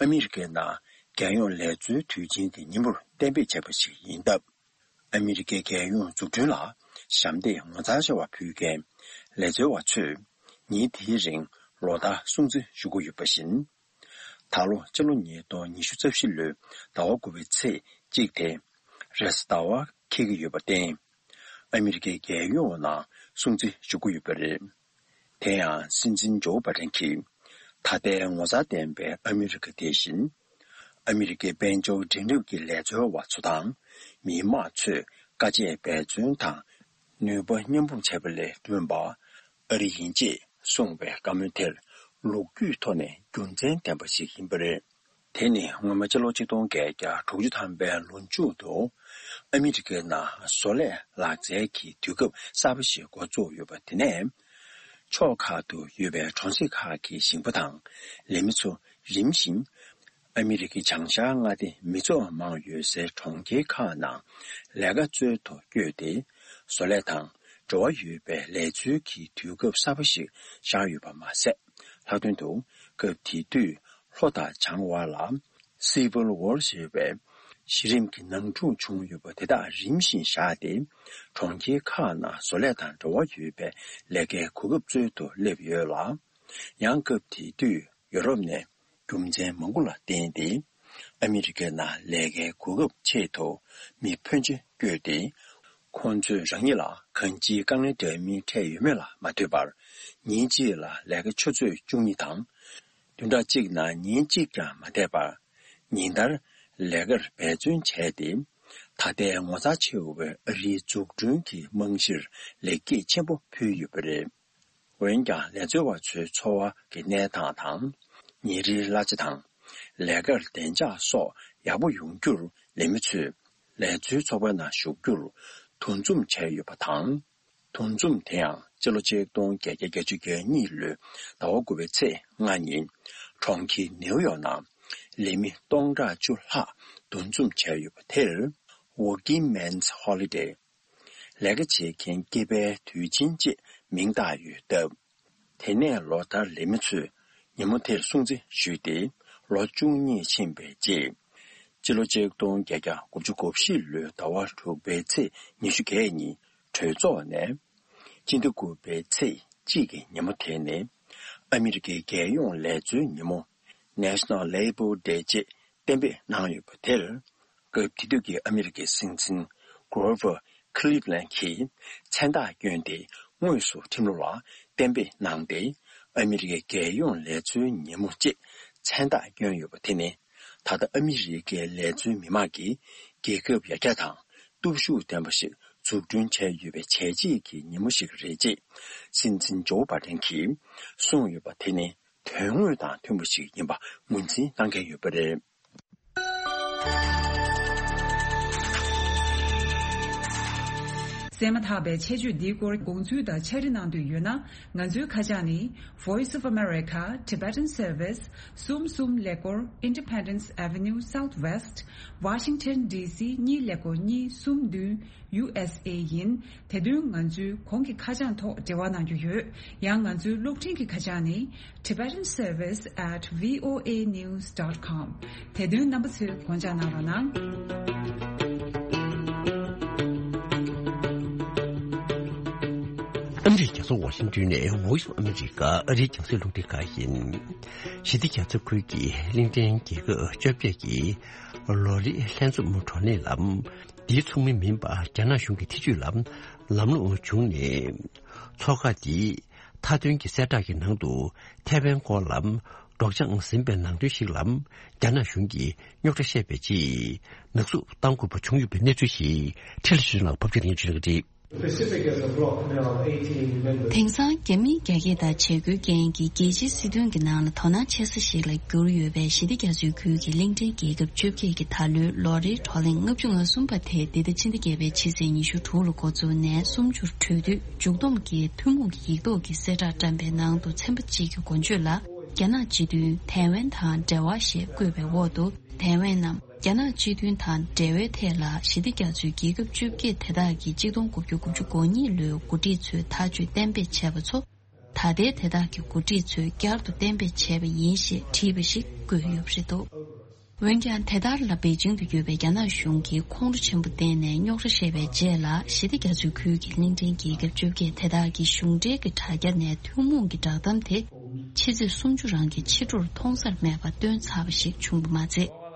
ཨ་མི་རི་ཀའི་ནང་རྒྱལ་ཡོངས་ལས་བཟོའི་དུས་ཆེན་དེ་ཉིན་མོར་གཏན་འབེབས་བྱས་པ་ཞིག་ཡིན་སྟབས། ཨ་མི་རི་ཀའི་རྒྱལ་ཡོངས་འཛུགས་སྐྲུན་ལ་ཞབས་འདེགས་ངོ་མཚར་ཆེ་བ་ཕུལ་མཁན་ལས་བཟོ་བ་ཚོས་ཉིན་དེའི་རིང་ལོ་ལྟར་སྲུང་བརྩི་ཞུ་གི་ཡོད་པ་བཞིན། ད་ལོ་སྤྱི་ལོ་ཉིས་སྟོང་ཉི་ཤུ་རྩ་བཞི་ལོའི་ཟླ་བ་དགུ་པའི་ཚེས་གཅིག་དེ་རེས་གཟའ་ཟླ་བ་འཁེལ་གྱི་ཡོད་པར་བརྟེན། ཨ་མི་རི་ཀའི་རྒྱལ་ཡོངས་ནང་སྲུང་བརྩི་ཞུ་གི་ཡོད་པ་རེད། དེ་ཡང་སྲིད་འཛིན་ཇོ་བྷ་ཏན་གྱིས་ད་ལྟའི་ངོ་མཚར་ལྡན་པའི་ཨ་མི་རི་ཀ་དེ་བཞིན། ཨ་མི་རི་ཀའི་དཔལ་འབྱོར་འབྲིང་རིམ་གྱི་ལས་འཚོལ་བ་ཚོ་དང་མི་དམངས་ཚོས་དཀའ་སྤྱད་འབད་བརྩོན་དང་ནུས་པ་མཉམ་སྤུངས་བྱས་པ་ལས་བསྐྲུན་པ་ཨ་རི་ཡིན་ཅེས་གསུངས་པའི་བཀའ་མོལ་དེར་ལོ་རྒྱུས་ཐོག་ནས་རྒྱུ་མཚན་ལྡན་པ་ཞིག་ཡིན་པ་རེད། དེ་ནི་སྔོན་མ་སྤྱི་ལོ་ཆིག་སྟོང་བརྒྱད་བརྒྱ་དྲུག་ཅུ་ཐམ་པའི་ལོ་མཇུག་ཏུ་ཨ་མི་རི་ཀའི་ནང་བཟོ་ལས་ལག་རྩལ་གྱི་དུས་སྐབས་གསར་པ་ཞིག་འགོ་བཙུགས་ཡོད་པ་དེ་ནས། ཕྱོགས་ཁག་ཏུ་ཡོད་པའི་གྲོང་གསེབ་ཁག་གི་ཞིང་པ་དང་ལས་མི་ཚོ་རིམ་བཞིན་ཨ་མི་རི་ཀའི་བྱང་ཤར་མངའ་སྡེ་མི་ཚོགས་མང་ཡོད་སའི་གྲོང་ཁྱེར་ཁག་ནང་ལས་ཀ་འཚོལ་དུ་བསྐྱོད་དེ། བཟོ་ལས་དང་འབྲེལ་བ་ཡོད་པའི་ལས་འཚོལ་གྱི་དུས་སྐབས་གསར་པ་ཞིག་ཤར་ཡོད་པ་མ་ཟད། ལྷག་དོན་དུ་སྐབས་དེ་དུས་ལྷོ་དང་བྱང་བར་ལ་Civil War ཞེས་པའི་ གཞི་རིམ་གྱི་ནང་འཁྲུག་བྱུང་ཡོད་པ་དེ་དག་རིམ་བཞིན་བཞག་སྟེ། གྲོང་ཁྱེར་ཁག་ནང་བཟོ་ལས་དང་འབྲེལ་བ་ཡོད་པའི་ལས་ཀའི་གོ་སྐབས་འཚོལ་དུ་སླེབས་ཡོད་ལ། ཡང་སྐབས་དེ་དུས་ཡོ་རོབ་ནས་རྒྱུ་མཚན་མང་པོ་ལ་བརྟེན་ཏེ། ཨ་མི་རི་ཀའི་ནང་ལས་ཀའི་གོ་སྐབས་ཆེད་དུ་མི་ཕོན་ཆེ་བསྐྱོད་དེ། ཁོང་ཚོས་རང་ཉིད་ལ་གང་ཅིའི་དཀའ་ངལ་འདྲ་མིན་འཕྲད་ཡོད་མེད་ལ་མ་ལྟོས་པར། ཉིན་གཅིག་ལ་ལས་ཀ་ཆུ་ཚོད་བཅུ་གཉིས་དང་། བདུན་ཕྲག་གཅིག་ནང་ཉིན་གཅིག་ཀྱང་མ་བསྡད་པར། ཉིན་ལྟར་ལས་ཀར་འབད་བརྩོན་བྱས་ཏེ། ད་ལྟའི་ངོ་མཚར་ཆེ་བའི་ཨ་རིའི་འཛུགས་སྐྲུན་གྱི་རྨང་གཞིར་ལེགས་སྐྱེས་ཆེན་པོ་ཕུལ་ཡོད་པ་རེད། འོན་ཀྱང་ལས་འཚོལ་བ་ཚོའི་འཚོ་བ་གི་གནས་སྟངས་དང་། ཉིན་རེའི་གླ་ཆ་དང་། ལས་ཀར་བདེ་འཇགས་སོགས་ཡག་པོ་ཡོང་རྒྱུར་ལས་མི་ཚོས་ལས་འཚོལ་ཚོགས་པའི་ནང་ཞུགས་རྒྱུར་འདུ་འཛོམས་བྱས་ཡོད་པ་དང་། འདུ་འཛོམས་དེ་ཡང་སྤྱི་ལོ་ཆིག་སྟོང་བརྒྱད་བརྒྱ་བརྒྱད་ཅུ་གྱ་གཉིས་ལོའི་ཟླ་བ་དགུ་པའི་ཚེས་ལྔ་ཉིན། གྲོང་ཁྱེར་ནེའུ་ཡོག་ནང་ལས་མི་སྟོང་ཕྲག་བཅུ་ལྷག་འདུ་འཛོམས་བྱས་ཡོད་པ་དེར། Working Men's Holiday། ལས་ཀ་བྱེད་མཁན་སྐྱེས་པའི་དུས་ཆེན་ཅེས་མིང་བཏགས་ཡོད་སྟབས། དེ་ནས་ལོ་ལྟར་ལས་མི་ཚོས་ཉིན་མོ་དེར་སྲུང་བརྩི་ཞུས་ཏེ། ལོ་བཅུ་གཉིས་ཕྱིན་པའི་རྗེས། སྤྱི་ལོ་ཆིག་སྟོང་བརྒྱད་བརྒྱ་དགུ་བཅུ་གོ་བཞི་ལོའི་ཟླ་བ་དྲུག་པའི་ཚེས་ཉི་ཤུ་བརྒྱད་ཉིན་གྲོས་ཚོགས་ནས། སྤྱི་ཟླ་དགུ་པའི་ཚེས་གཅིག་གི་ཉིན་མོ་དེ་ནི། ཨ་མི་རི་ཀའི་རྒྱལ་ཡོངས་ལས་འཚོལ་ཉིན་མོ། National Labor Day ཅེས་གཏན་འབེབས་གནང་ཡོད་པ་དེར། སྐབས་དེ་དུས་ཀྱི་ཨ་མི་རི་ཀའི་སྲིད་འཛིན་Grover Cleveland གྱིས་མཚན་རྟགས་བསྐྱོན་ཏེ། དངོས་སུ་ཁྲིམས་ལུགས་ལ་གཏན་འབེབས་གནང་སྟེ། ཨ་མི་རི་ཀའི་རྒྱལ་ཡོངས་ལས་འཚོལ་ཉིན་མོ་ཅེས་མཚན་རྟགས་བསྐྱོན་ཡོད་པ་དེ་ནི། ད་ལྟ་ཨ་མི་རི་ཀའི་ལས་འཚོལ་མི་མང་གིས་རྒྱལ་ཁབ་ཡར་རྒྱས་དང་སྟོབས་ཤུགས་ལྡན་པ་ཞིག་འཛུགས་སྐྲུན་བྱས་ཡོད་པའི་བྱས་རྗེས་ཀྱི་ཉིན་མོ་ཞིག་རེད་ཅེས། སྲིད་འཛིན་ཇོ་བྷ་ཏན་གྱིས་གསུངས་ཡོད་པ་དེ་ནི། དོན་དངོས་དང་མཐུན་པ་ཞིག་ཡིན་པ་ངོས་འཛིན་གནང་མཁན་ཡོད་པ་རེད། གསན་མ་ཐག་པའི་ཆེད་བརྗོད་འདིའི་སྐོར་དགོངས་ཚུལ་དང་ཕྱག་བྲིས་གནང་འདོད་ཡོད་ན། ང་ཚོའི་ཁ་བྱང་ནི། Voice of America, Tibetan Service, གསུམ་གསུམ་ཀླད་ཀོར། Independence Avenue Southwest, Washington D C གཉིས་ཀླད་ཀོར་གཉིས་གསུམ་བདུན། U S A ཡིན། དེ་དོན་ང་ཚོའི་གོང་གི་ཁ་བྱང་ཐོག་འབྲེལ་བ་གནང་རྒྱུ་ཡོད། ཡང་ང་ཚོའི་གློག་འཕྲིན་གྱི་ཁ་བྱང་ནི། Tibetan Service at V O A news dot com། དེ་དོན་རྣམ་པ་ཚོས་དགོངས་འཇགས་གནང་རོགས་གནང་། ཨ་མི་རི་ཀའི་རྒྱལ་ས་ཝ་ཤིང་ཏོན་ནས་Voice of America ཨ་རིའི་རྒྱང་སྲིང་རླུང་འཕྲིན་ཁང་ཡིན། ཞི་བདེ་རྒྱ་མཚོ་ཁུལ་གྱི་གླིང་ཕྲན་རྒྱལ་ཁབ་བཅོ་བརྒྱད་ཀྱི་ལོ་རེའི་ལྷན་འཛོམས་བགྲོ་གླེང་ལ། འདིའི་ཚོགས་མི་མིན་པ་རྒྱ་ནག་གཞུང་གི་ཐེ་ཇུས་ལ་ལམ་ལྷོང་བྱུང་ནས། ཚོགས་ཁག་འདིས་མཐའ་དོན་གྱི་གསལ་བསྒྲགས་ཀྱི་ནང་དུ་ཐའེ་ཝན་སྐོར་ལ་སྒྲོག་སྦྱང་ཟིན་པའི་ནང་དོན་ཞིག་ལ་རྒྱ་ནག་གཞུང་གིས་རྙོག་དྲ་བཤད་པའི་རྗེས་ནག་བསུབ་གཏང་དགོས་པ་བྱུང་ཡོད་པའི་གནས་ཚུལ་ཞིག་ཁྲི་ལ་ཞུ་ལགས་ཕབ་སྒྱུར་ཡིན་ཞུ་གི་རེད། The Pacific as a bloc now eighteen members. དེང་སང་རྒྱ་མིས་རྒྱ་སྐྱེད་དང་བྱེད་སྒོའི་རྐྱེན་གྱིས་རྒྱལ་སྤྱིའི་སྲིད་དོན་གྱི་ནང་ལ་དོ་སྣང་ཆེ་ས་ཞིག་ལ་གྱུར་ཡོད་པའི་ཞི་བདེ་རྒྱ་མཚོའི་ཁུལ་གྱི་གླིང་ཕྲན་རྒྱལ་ཁབ་བཅོ་བརྒྱད་ཀྱི་ད་ལོའི་ལོ་རེའི་བགྲོ་གླེང་ལྔ་བཅུ་ང་གསུམ་པ་དེ་འདི་ཟླ་ཕྱི་ཟླ་བརྒྱད་པའི་ཕྱི་ཚེས་ཉི་ཤུ་དྲུག་ལ་འགོ་བཙུགས་ནས་སུམ་ཅུར་གྲོལ་དུས། མཇུག་བསྡོམས་ཀྱིས་ཐུན་མོང་གི་ཡིག་ཐོག་གི་གསལ་བསྒྲགས་བཀྲམ་པའི་ནང་དུ་ཚན་པ་གཅིག་གི་འགོ་བརྗོད་ལ། རྒྱ་ནག་སྤྱི་མཐུན་ཐའེ་ཝན་དང་འབྲེལ་བ་ཞེས་བཀོད་པའི་འོག་ཏུ། ཐའེ་ཝན་ནམ། རྒྱ་ནག་སྤྱི་མཐུན་དང་འབྲེལ་བའི་ཐད་ལ་ཞི་བདེ་རྒྱ་མཚོའི་རྒྱལ་ཁབ་བཅོ་བརྒྱད་དེ་དག་གིས་གཅིག་སྟོང་དགུ་བརྒྱ་དགུ་བཅུ་གོ་གཉིས་ལོའི་འགོ་ཁྲིད་ཚོས་ཐག་གཅོད་གཏན་འབེབས་བྱས་པ་ཚོ། ད་ལྟའི་དེ་དག་གི་འགོ་ཁྲིད་ཚོས་བསྐྱར་དུ་གཏན་འབེབས་བྱས་པ་ཡིན་ཞེས་བྲིས་པ་ཞིག་བཀོད་ཡོད་པ་རེད་འདུག་འོན་ཀྱང་དེ་ལྟར་ལ་པེ་ཅིང་དུ་ཡོད་པའི་རྒྱ་ནག་གཞུང་གིས་ཁོང་ཁྲོ་ཆེན་པོ་བསྟན་ནས་རྙོག་དྲ་བཤད་པའི་རྗེས་ལ་ཞི་བདེ་རྒྱ་མཚོའི་ཁུལ་གྱི་གླིང་ཕྲན་རྒྱལ་ཁབ་བཅོ་བརྒྱད་དེ་དག་གིས་གཞུང་འབྲེལ་གྱི་དྲ་རྒྱ་ནས་ཐུན་མོང་གི་བསྒྲགས་གཏམ་དེ་ཕྱི་ཚེས་སུམ་ཅུ་རང་གི་ཕྱི་དྲོར་མཐོང་སར་མེད་པ་བཏོན་ཚར་བ་ཞིག་བྱུང་བ་མ་ཚད།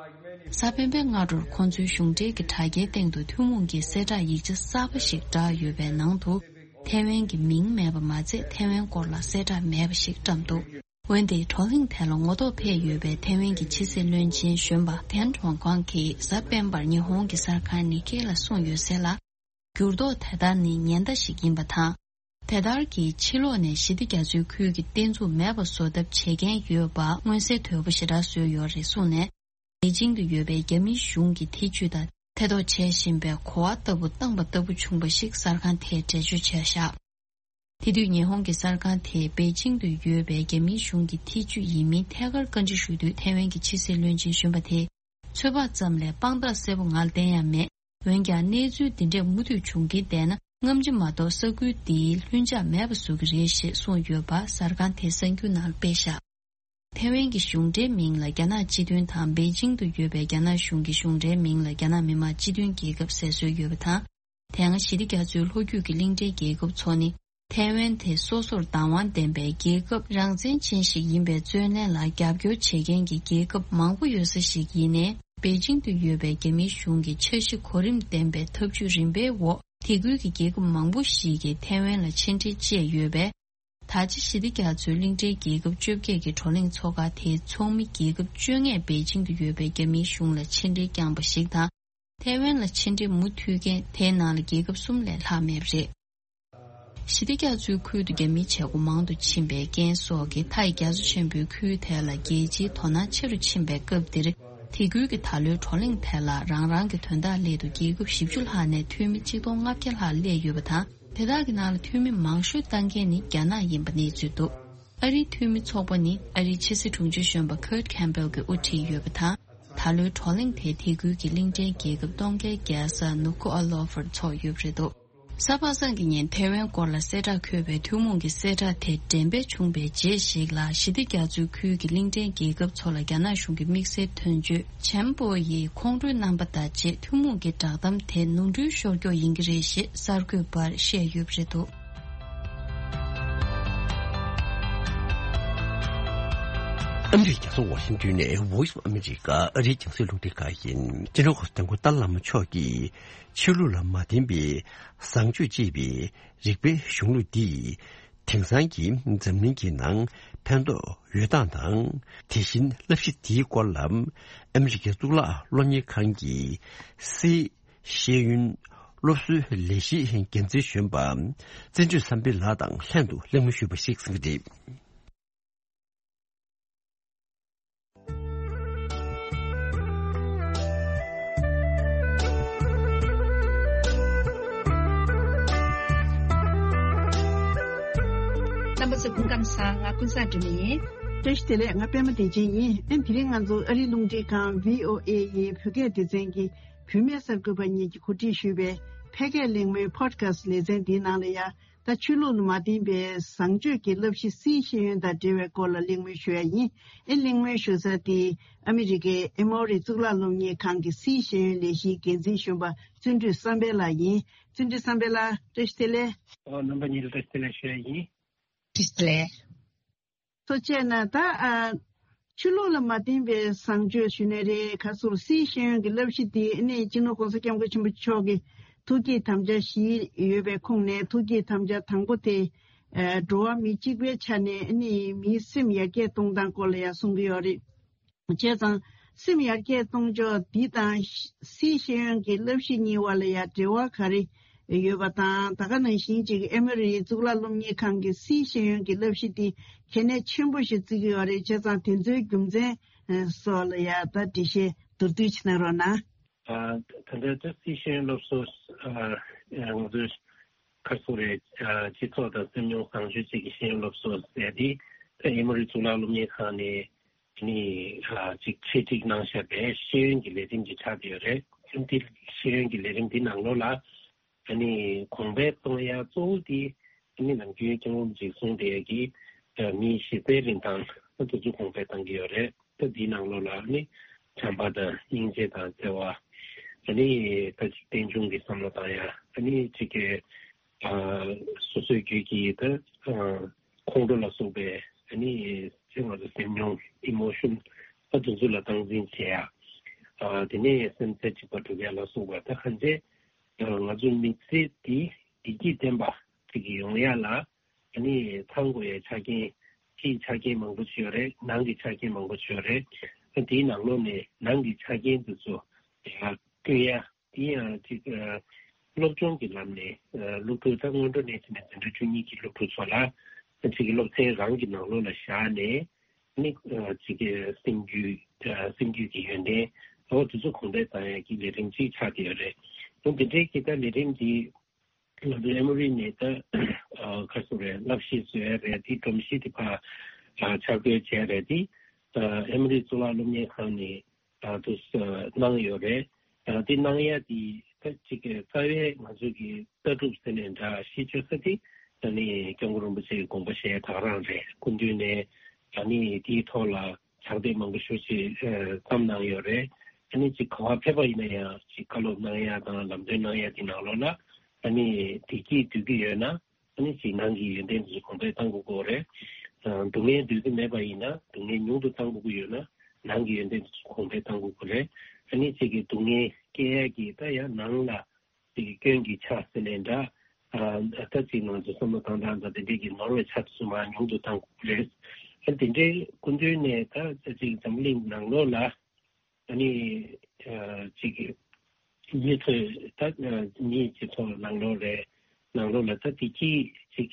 གཟའ་སྤེན་པའི་སྔ་དྲོར་ཁོང་ཚོའི་གཞུང་འབྲེལ་གྱི་དྲ་རྒྱའི་སྟེང་དུ་ཐུན་མོང་གི་གསལ་བསྒྲགས་ཡིག་ཆ་གསར་པ་ཞིག་བསྒྲགས་ཡོད་པའི་ནང་དུ། ཐའེ་ཝན་གྱི་མིང་མེད་པ་མ་ཚད་ཐའེ་ཝན་སྐོར་ལ་གསལ་བསྒྲགས་མེད་པ་ཞིག་བཀྲམ་འདུག་འོན་ཏེ། བགྲོ་གླེང་དེ་ལ་ངོ་ཐོག་ཕེབས་ཡོད་པའི་ཐའེ་ཝན་གྱི་ཕྱི་སྲིད་བློན་ཆེན་གཞོན་པ་ཐན་ཁྲོང་ཁང་གིས་གཟའ་སྤེན་པར་ཉི་ཧོང་གི་གསར་ཁང་ནི་ཀེ་ལ་གསུངས་ཡོད་ཟེར་ལ། འགྱུར་ལྡོག་དེ་དག་ནི་ཉེན་བརྡ་ཞིག་ཡིན་པ་དང་། དེ་ལྟར་གྱིས་ཕྱི་ལོགས་ནས་ཞི་བདེ་རྒྱ་མཚོའི་ཁུལ་གྱི་བརྟན་ཚུགས་མེད་པ་བཟོ་ཐབས་བྱེད་མཁན་ཡོད་པ་མངོན་གསལ་དོད་པོ་ཞེ་དྲག་བཟོས་ཡོད་རེད་གསུངས་ནས། པེ་ཅིང་དུ་ཡོད་པའི་རྒྱ་མིའི་གཞུང་གི་ཐེ་ཇུས་དང་ཐེ་གཏོགས་བྱེད་བཞིན་པའི་གོ་བ་ལྟ་བུ་བཏང་པ་ལྟ་བུ་བྱུང་བ་ཞིག་གསར་ཁང་དེས་འགྲེལ་བརྗོད་བྱས་བཞག་དེ་དུས་ཉི་ཧོང་གི་གསར་ཁང་དེས་པེ་ཅིང་དུ་ཡོད་པའི་རྒྱ་མིའི་གཞུང་གི་ཐེ་ཇུས་ཡིན་མིན་ཐད་ཀར་བཀའ་འདྲི་ཞུས་དུས་ཐའེ་ཝན་གྱི་ཕྱི་སྲིད་བློན་ཆེན་གཞོན་པ་དེས། ཚོད་དཔག་ཙམ་ལས་དཔང་རྟགས་གསལ་པོ་ང་ལ་བསྟན་ཡ་མེད། འོན་ཀྱང་གནས་ཚུལ་འདི་འདྲས་མུ་མཐུད་བྱུང་གིན་བསྡད་ན་སྔ་ཕྱི་མ་གཏོགས་ས་ཁུལ་འདིའི་ལྷིང་འཇགས་མེད་པ་བཟོ་གི་རེད་ཞེས་གསུངས་ཡོད་པ་གསར་ཁང་དེའི་གསར་འགྱུར་ནང་སྤེལ་བཞག་ཐའེ་ཝན་གྱི་གཞུང་འབྲེལ་མིང་ལ་རྒྱ་ནག་སྤྱི་མཐུན་དང་པེ་ཅིང་དུ་ཡོད་པའི་རྒྱ་ནག་གཞུང་གི་གཞུང་འབྲེལ་མིང་ལ་རྒྱ་ནག་མི་དམངས་སྤྱི་མཐུན་རྒྱལ་ཁབ་ཟེར་སྲོལ་ཡོད་པ་དང་། དེ་སྔ་ཞི་བདེ་རྒྱ་མཚོའི་ལྷོ་རྒྱུད་ཀྱི་གླིང་ཕྲན་རྒྱལ་ཁབ་ཚོ་ནི། ཐའེ་ཝན་དེ་སོ་སོར་བདག་དབང་ལྡན་པའི་རྒྱལ་ཁབ་རང་བཙན་ཅན་ཞིག་ཡིན་པའི་རྩོད་ལེན་ལ་རྒྱབ་སྐྱོར་བྱེད་མཁན་གྱི་རྒྱལ་ཁབ་མང་པོ་ཡོད་ས་ཞིག་ཡིན་ནའི། པེ་ཅིང་དུ་ཡོད་པའི་རྒྱ་མིའི་གཞུང་གི་འཆར་གཞི་གོ་རིམ་ལྡན་པའི་ཐབས་ཇུས་རིམ་པའི་འོག་དེ་ཁུལ་གྱི་རྒྱལ་ཁབ་མང་པོ་ཞིག་གིས་ཐའེ་ཝན་ལ་མཆན་འགྲེལ་བཅས་ཡོད་པས། ད་ཆ་ཞི་བདེ་རྒྱ་མཚོའི་གླིང་ཕྲན་རྒྱལ་ཁབ་བཅོ་བརྒྱད་ཀྱི་བགྲོ་གླེང་ཚོགས་ཁག་དེའི་ཚོགས་མི་རྒྱལ་ཁབ་བཅོ་ལྔས་པེ་ཅིང་དུ་ཡོད་པའི་རྒྱ་མིའི་གཞུང་ལ་མཆན་འགྲེལ་བསྐྱངས་པ་ཞིག་དང་། ཐའེ་ཝན་ལ་མཆན་འགྲེལ་མུ་མཐུད་མཁན་དེའི་ནང་ལ་རྒྱལ་ཁབ་གསུམ་ལས་ལྷག་མེད་པ་རེད། ཞི་བདེ་རྒྱ་མཚོའི་ཁུལ་དུ་རྒྱ་མིའི་བྱེད་སྒོ་མང་དུ་ཕྱིན་པའི་རྐྱེན་སོགས་ཀྱིས་མཐའ་ཡི་རྒྱ་མཚོ་ཆེན་པོའི་ཁུལ་དེ་ལ་རྒྱལ་སྤྱིའི་དོ་སྣང་ཆེ་རུ་ཕྱིན་པའི་སྐབས་འདིར། དེ་ཁུལ་གྱི་ད་ལོའི་བགྲོ་གླེང་དེ་ལ་རང་རང་གི་དོན་དག་སླད་དུ་རྒྱལ་ཁབ་བཞི་བཅུ་ལྷག་ནས་འཐུས་མི་ཆིག་སྟོང་ལྔ་བརྒྱ་ལྷག་སླེབས་ཡོད་པ་དང་། དེ་དག་གི་ནང་ལ་འཐུས་མི་མང་ཤོས་བཏང་མཁན་ནི་རྒྱ་ནག་ཡིན་པ་གནས་ཚུལ་འདུག་ཨ་རིའི་འཐུས་མི་ཚོགས་པ་ནི་ཨ་རིའི་ཕྱི་སྲིད་དྲུང་ཆེ་གཞོན་པ་Kurt Campbell་གྱིས་དབུ་ཁྲིད་ཡོད་པ་དང་། ད་ལོའི་བགྲོ་གླེང་དེ་དེ་ཁུལ་གྱི་གླིང་ཕྲན་རྒྱལ་ཁབ་སྟོང་བརྒྱད་བརྒྱ་ས་ནུ་ཁོ་ཨ་ལོ་ཧྥར་ཚོགས་ཡོད་པ་རེད་འདུག་གཟའ་པ་སངས་ཀྱི་ཉིན་ཐའེ་ཝན་སྐོར་ལ་གསལ་བསྒྲགས་འཁོད་པའི་ཐུན་མོང་གི་གསལ་བསྒྲགས་དེ་འགྲེམས་སྤེལ་བྱུང་བའི་རྗེས་ཤིག་ལ། ཞི་བདེ་རྒྱ་མཚོའི་ཁུལ་གྱི་གླིང་ཕྲན་རྒྱལ་ཁབ་ཚོ་ལ་རྒྱ་ནག་གཞུང་གི་དམིགས་བསལ་དོན་གཅོད་ཆན་པོ་ཡིས་ཁོང་ཁྲོའི་རྣམ་པ་དང་བཅས་ཐུན་མོང་གི་བསྒྲགས་གཏམ་དེ་ནོར་འཁྲུལ་ཤོར་ཀྱོག་ཡིན་གྱི་རེད་ཞེས་གསར་འགོད་པར་བཤད་ཡོད་པ་རེད་འདུག་ཨ་མི་རི་ཀའི་རྒྱལ་ས་ཝ་ཤིང་ཏོན་ནས་Voice of America ཨ་རིའི་རྒྱང་སྲིང་རླུང་འཕྲིན་ཁང་ཡིན། སྤྱི་ནོར་གོང་ས་སྐྱབས་མགོན་ཏཱ་ལའི་བླ་མ་མཆོག་གིས་ཆོས་ལུགས་ལ་མ་བརྟེན་པའི་བཟང་སྤྱོད་ཅེས་པའི་རིག་པའི་གཞུང་ལུགས་འདིས་དེང་སང་གི་འཛམ་གླིང་གི་ནང་ཕན་ཐོགས་ཡོད་སྟངས་དང་། དེ་བཞིན་བསླབ་གཞི་འདིའི་སྐོར་ལ་ཨ་མི་རི་ཀའི་གཙུག་ལག་སློབ་གཉེར་ཁང་གི་སིའི་ཤེས་ཡོན་སློབ་གསོའི་ལས་གཞིའི་འགན་འཛིན་གཞོན་པ་བརྩོན་འགྲུས་བསམ་འཕེལ་ལགས་དང་ལྷན་དུ་གླེང་མོལ་ཞུས་པ་ཞིག་གསན་གྱི་རེད། རྣམ་པ་ཚོ་སྐུ་ཁམས་བཟང་། ང་ཀུན་བཟང་སྒྲོལ་མ་ཡིན། བཀྲ་ཤིས་བདེ་ལེགས། ང་པད་མ་བདེ་ཆེན་ཡིན། ཨེ་དེ་རིང་ང་ཚོ་ཨ་རིའི་རླུང་འཕྲིན་ཁང་བྷི་ཨོ་ཨེ་ཡི་བོད་སྐད་སྡེ་ཚན་གྱི་བུད་མེད་གསར་འགོད་པ་གཉིས་ཀྱིས་གོ་སྒྲིག་ཞུས་པའི་ཕལ་སྐད་གླེང་མོལ་Podcast་ལེ་ཚན་འདིའི་ནང་ལ་ཡ། ད་ཆོས་ལུགས་ལ་མ་བརྟེན་པའི་བཟང་སྤྱོད་ཀྱི་བསླབ་གཞི་སིའི་ཤེས་ཡོན་དང་འབྲེལ་བའི་སྐོར་ལ་གླེང་མོལ་ཞུ་ཡ་ཡིན། ཨེ་གླེང་མོལ་ཞུ་ས་དེ་ཨ་མི་རི་ཀའི་ཨེ་མོ་རི་གཙུག་ལག་སློབ་གཉེར་ཁང་གི་སིའི་ཤེས་ཡོན་ལས་གཞིའི་འགན་འཛིན་གཞོན་པ་བརྩོན་འགྲུས་བསམ་འཕེལ་ལགས་ཡིན། བརྩོན་འགྲུས་བསམ་འཕེལ་ལགས་བཀྲ་ཤིས་བདེ་ལེགས། ཨོ་རྣམ་པ་གཉིས་ལ་བཀྲ་ཤིས་བདེ་ལེགས་ཞུ་ཡ་ཡིན། བཀྲ་ཤིས་བདེ་ལེགས། ཐུགས་རྗེ་ཆེ་གནང་། ད་ཨ། ཆོས་ལུགས་ལ་མ་བརྟེན་པའི་བཟང་སྤྱོད་ཞུ་ནའི་རེད། ག་ཟེར་སིའི་ཤེས་ཡོན་གྱི་བསླབ་གཞི་འདི་ནི་སྤྱི་ནོར་༸གོང་ས་༸སྐྱབས་མགོན་ཆེན་པོ་མཆོག་གི་ཐུགས་བསྐྱེད་དམ་བཅའ་བཞི་ཡོད་པའི་ཁོངས་ནས་ཐུགས་བསྐྱེད་དམ་བཅའ་དང་པོ་དེ། ཨ། འགྲོ་བ་མི་གཅིག་པའི་ཆ་ནས་ནི་མིའི་སེམས་ཡར་རྒྱས་གཏོང་སྟངས་སྐོར་ལ་ཡང་གསུང་གི་ཡོད་རེད། བྱས་ཙང་སེམས་ཡར་རྒྱས་གཏོང་ཕྱོགས་འདི་དང་སིའི་ཤེས་ཡོན་གྱི་བསླབ་གཞི་གཉིས་བར་ལ་ཡང་འབྲེལ་བ་ག་རེ་ཡོད་པ་དང་། ད་ག་ནང་བཞིན་ཅིག་ཨེ་མོ་རི་གཙུག་ལག་སློབ་གཉེར་ཁང་གི་སིའི་ཤེས་ཡོན་གྱི་བསླབ་གཞི་འདི་གལ་གནད་ཆེན་པོ་ཞིག་བརྩི་གི་ཡོད་རེད། བྱས་ཙང་དེ་ཚོའི་རྒྱུ་མཚན་སོགས་ལ་ཡང་ད་འགྲེལ་བཤད་མདོར་བསྡུས་ཅིག་གནང་རོགས་གནང་། ཨ། ད་ལྟ་ད་སིའི་ཤེས་ཡོན་སློབ་གསོ། ཨ། ང་ཚོའི་ཁ་སོ་རེ། ཨ། སྤྱི་ཚོགས་དང་སེམས་མྱོང་བཟང་སྤྱོད་བཅས་ཀྱི་ཤེས་ཡོན་སློབ་གསོ་ཟེར་ཏེ། ད་ཨེ་མོ་རི་གཙུག་ལག་སློབ་གཉེར་ཁང་ནས་ནི། ཨ། ཅིག་ཆེད་སྒྲིག་གནང་བཞག་པའི་ཤེས་ཡོན་གྱི་ལས་རིམ་ཅིག་ཆགས་བསྡད་ཡོད་རེད། འདི་ཤེས་ཡོན་གྱི་ལས་རིམ་འདི་ནང་ལོགས་ལ། ཨ་ནི་གོང་འཕེལ་གཏོང་ཡ་གཙོ་བོ་དེ་ཨ་ནི་ནམ་རྒྱུན་སྐྱབས་མགོན་རིན་པོ་ཆེས་གསུངས་བསྡད་ཡ་གི་མིའི་གཞི་རྩའི་རིན་ཐང་དེ་ཚོ་གོང་འཕེལ་གཏང་གི་ཡོད་རེད། ད་འདིའི་ནང་ལོགས་ལ་ཨ་ནི་བྱམས་པ་དང་སྙིང་རྗེ་དང་བརྩེ་བ། ཨ་ནི་ད་ཅིག་རྟེན་འབྱུང་གི་བསམ་བློ་བཏང་ཡ། ཨ་ནི་ཅིག་གི། ཨ། སོ་སོའི་རྒྱུད་ཀྱི་ད། ཨ། ཁོང་ཁྲོ་ལ་སོགས་པའི་ཨ་ནི་ཅིག་ང་ཚོ་སེམས་མྱོང་ཨི་མོ་ཤོན་ད་དེ་ཚོ་ལ་སྟངས་འཛིན་བྱེད་ཡ། ཨ། དེ་ནས་སེམས་རྩེ་གཅིག་པ་སྒྲུབ་ཡ་ལ་སོགས་པ་ད་གང་ཅི། ང་ཚོའི་མི་ཚེ་འདི་བདེ་སྐྱིད་ལྡན་པ་ཅིག་ཡོང་ཡ་ལ་ཨ་ནི་ཚང་དགོས་ཡའི་ཆ་རྐྱེན། ཕྱིའི་ཆ་རྐྱེན་མང་པོ་ཅིག་ཡོད་རེད། ནང་གི་ཆ་རྐྱེན་མང་པོ་ཅིག་ཡོད་རེད། ཨ། དེའི་ནང་ལོགས་ནས་ནང་གི་ཆ་རྐྱེན་དེ་ཚོ་ཡར་བསྐྲུན་ཡ། དེ་ཡང་ཅིག་ཨ། སློབ་སྦྱོང་གི་ལམ་ནས། ཨ། སློབ་ཕྲུག་ད་སྔོན་འགྲོ་ནས་བྱས་ནས་འཛིན་གྲྭ་བཅུ་གཉིས་ཀྱི་སློབ་ཕྲུག་ཚོ་ལ་ཅིག་གི་སློབ་ཚན་རང་གི་ནང་ལོགས་ལ་བཞག་ནས་ནི། ཨ། ཅིག་གི་སེམས་རྒྱུད། ཨ། སེམས་རྒྱུད་ཀྱི་ཡོན་ཏན་འོ་དེ་ཚོ་གོང་འཕེལ་བཏང་ཡ་གི་ལས་རིམ་ཅིག་ཆགས་བསྡད་ཡོད་རེད། འོ་འདི་འདྲའི་གི་ད་ལས་རིམ་འདི་ང་ཚོ་ཨེ་མོ་རི་ནས་ད། ཨ། ག་ཟེར་རེད། བསླབ་གཞི་བཟོ་ཡ་རེད། དེ་སྒྲོམ་གཞི་དེ་ཕར། ཨ། འཆར་འགོད་བྱས་རེད། དེ་ཨེ་མོ་རི་གཙུག་ལག་སློབ་གཉེར་ཁང་ནས། ཨ། དུ་གནང་ཡོད་རེད། ཨ། དེ་གནང་ཡ་དེ་ད་ཅིག་གི་རྩ་བའི་ང་ཚོ་གི་ལྟ་གྲུབ་ཟེར་ནས་འདྲ་གཞི་བཅོལ་ས་དེ་ཨ་ནི་སྐྱབས་མགོན་རིན་པོ་ཆེ་གི་དགོངས་པ་བཞེས་ད་ག་རང་རེད། སྐུ་མདུན་ནས་ ཨ་ནི་དེའི་ཐོག་ལ་ཕྱག་དེབ་མང་པོ་ཞེ་པོ་ཅིག་ཨ་བརྩམས་གནང་ཡོད་རེད། ཨ་ནི་ཅིག་ག་པར་ཕེབས་པ་ཡིན་ན་ཡང་ཅིག་བཀའ་སློབ་གནང་ཡ་དང་ལམ་སྟོན་གནང་ཡ་དེ་ནང་ལོགས་ལ་ཨ་ནི་བདེ་སྐྱིད་འདོད་ཀྱི་ཡོད་ན། ཨ་ནི་ཅིག་ནང་གི་ཡོན་ཏན་དེ་ཚོ་གོང་འཕེལ་གཏང་དགོས་ཀྱི་རེད། ཨ་སྡུག་བསྔལ་འདོད་ཀྱི་མེད་པ་ཡིན་ན་སྡུག་བསྔལ་ཉུང་དུ་གཏང་དགོས་ཀྱི་ཡོད་ན་ནང་གི་ཡོན་ཏན་དེ་ཚོ་གོང་འཕེལ་གཏང་དགོས་ཀྱི་རེད། ཨ་ནི་ཅིག་གི་སྡུག་བསྔལ་སྐྱེ་ཡ་གི་ད་ཡང་ནང་ལ་ཅིག་གི་སྐྱོན་གྱི་ཆ་ཟེར་ནའི་འདྲ། ཨ་ད་ཅིག་ང་ཚོ་བསམ་བློ་བཏང་སྟངས་དང་དེ་འདྲས་ཀྱི་ནོར་བའི་ཆ་དེ་ཚོ་མར་ཉུང་དུ་གཏང་དགོས་ཀྱི་རེད། ཨ་དེ་འདྲའི་སྐུ་མདུན་ནས་ད་ཅིག་འཛམ་བུ་གླིང་ནང་ལོགས་ལ། ཨ་ནི་ཨ་ཅིག་མི་ཚོས་ད་ཨ་མིའི་སྤྱི་ཚོགས་ནང་ལོགས་རེད། ནང་ལོགས་ལ་ད་བདེ་སྐྱིད་ཅིག་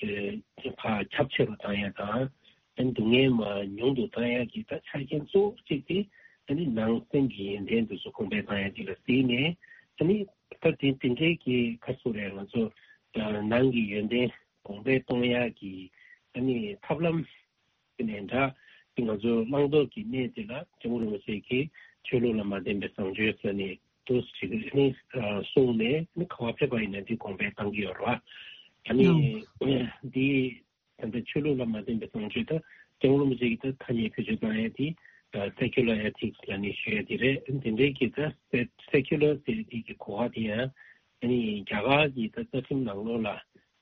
ཨ་ཁྱབ་ཆེ་རུ་བཏང་ཡ་དང་། ཨ་ནི་སྡུག་བསྔལ་མར་ཉུང་དུ་བཏང་ཡ་གི་ད་ཆ་རྐྱེན་གཙོ་བོ་གཅིག་དེ་ཨ་ནི་ནང་སེམས་ཀྱི་ཡོན་ཏན་དེ་ཚོ་གོང་འཕེལ་བཏང་ཡ་དེ་ལ་གཟིགས་ནས། ཨ་ནི་ད་དེ་དེ་འདྲའི་གི་ཁ་སོ་རེད། ང་ཚོ་ཨ་ནང་གི་ཡོན་ཏན་གོང་འཕེལ་གཏོང་ཡ་གི་ཨ་ནི་ཐབས་ལམ། དེ་ནས་འདྲ། ང་ཚོ་བླང་དོར་གྱི་གནས་དེ་ལ་སྐྱབས་མགོན་རིན་པོ་ཆེ་གིས་ཆོས་ལུགས་ལ་མ་བརྟེན་པའི་བཟང་སྤྱོད་ཟེར་ནས་འདུག་ཅིག་ནི་གསུངས་ནས་ནི་ག་པར་ཕེབས་པ་ཡིན་ན་འདི་གོང་འཕེལ་གཏང་གི་ཡོད་རེད་བ། ཨ་ནི་འདི་ད་ལྟ་ཆོས་ལུགས་ལ་མ་བརྟེན་པའི་བཟང་སྤྱོད་ད་སྐྱབས་མགོན་རིན་པོ་ཆེ་གིས་ད་ཐ་སྙད་བེད་སྤྱོད་བཏང་ཡ་དེ་secular ethics ལ་ནི་ཞུ་ཡ་དེ་རེད། དེ་འདྲའི་གི་ད་secular ཟེར་དེ་གི་གོ་བ་དེ་ཡང་ཨ་ནི་རྒྱ་གར་གྱི་ད་རྩ་ཁྲིམས་ནང་ལོགས་ལ།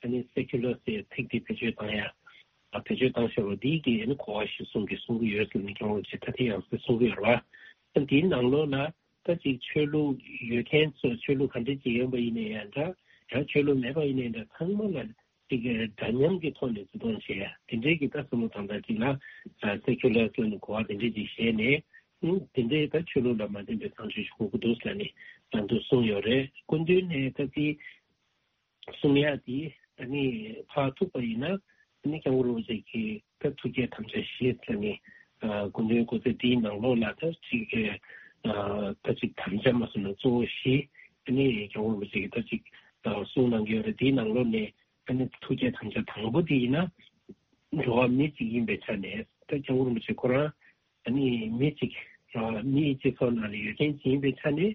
ཨ་ནི་secular ཟེར་ཚིག་དེ་བེད་སྤྱོད་བཏང་ཡ། ཨ་བེད་སྤྱོད་བཏང་བཞག་པ་འདི་གི་ཨ་ནི་གོ་བ་གཞིར་བཟུང་གི་གསུང་གི་ཡོད་ཟེར་ནས་སྐྱབས་མགོན་རིན་པོ་ཆེ་ད་ཐེངས་ཡང་སེ་གསུང་གི་ཡོད་རེད་བ། ཨ་འདིའི་ནང་ལོགས་ལ་ད་ཅིག་ཆོས་ལུགས་ཡོད་མཁན་ཚོ་ཆོས་ལུགས་ག་འདྲ་ཅིག་ཡིན་པ་ཡིན་ནའི་ཡང་འདྲ། ཡང་ཆོས་ལུགས་མེད་པ་ཡིན་ནའི་འདྲ། ཚང་མ་ལ་ཅིག་འདྲ་མཉམ་གྱི་ཐོག་ནས་བརྩི་མཐོང་བྱེད་ཡ་དེ་འདྲའི་གི་ད་བསམ་བློ་བཏང་སྟངས་ཅིག་ལ་secular ཟེར་ནས་གོ་བ་དེ་འདྲའི་ཅིག་བཞེས་ནས། ཨ་དེ་འདྲའི་ད་ཆོས་ལུགས་ལ་མ་བརྟེན་པའི་བཟང་སྤྱོད་ཅིག་དགོས་ཀྱི་འདུག་ཟེར་ནས་ད་འདུག་གསུངས་ཡོད་རེད། སྐུ་མདུན་ནས་ད་དེ། གསུང་ཡ་དེ་ཨ་ནི་ཕར་ཐུག་པ་ཡིན་ན། ཨ་ནི་སྐྱབས་མགོན་རིན་པོ་ཆེ་གིས་ད་ཐུགས་བསྐྱེད་དམ་བཅའ་བཞི་ཟེར་ནས། ཨ་སྐུ་མདུན་སྐུ་ཚེ་འདིའི་ནང་ལོགས་ལ་ད་ཅིག་ཨ་ད་ཅིག་དམ་བཅའ་མ་སོང་ན་གཙོ་བོ་བཞི། ཨ་ནི་སྐྱབས་མགོན་རིན་པོ་ཆེ་གིས་ད་ཅིག་ཨ་གསུང་གནང་གི་ཡོད་རེད། དེའི་ནང་ལོགས་ནས་ཨ་ནི་ཐུགས་བསྐྱེད་དམ་བཅའ་དང་པོ་དེ་ཡིན་ན། འགྲོ་བ་མི་གཅིག་ཡིན་པའི་ཆ་ནས་ད་སྐྱབས་མགོན་རིན་པོ་ཆེ་ཁོ་རང་། ཨ་ནི་མི་གཅིག་ར་མིའི་སྤྱི་ཚོགས་ནང་ལ་ཡོད་མཁན་ཅིག་ཡིན་པའི་ཆ་ནས།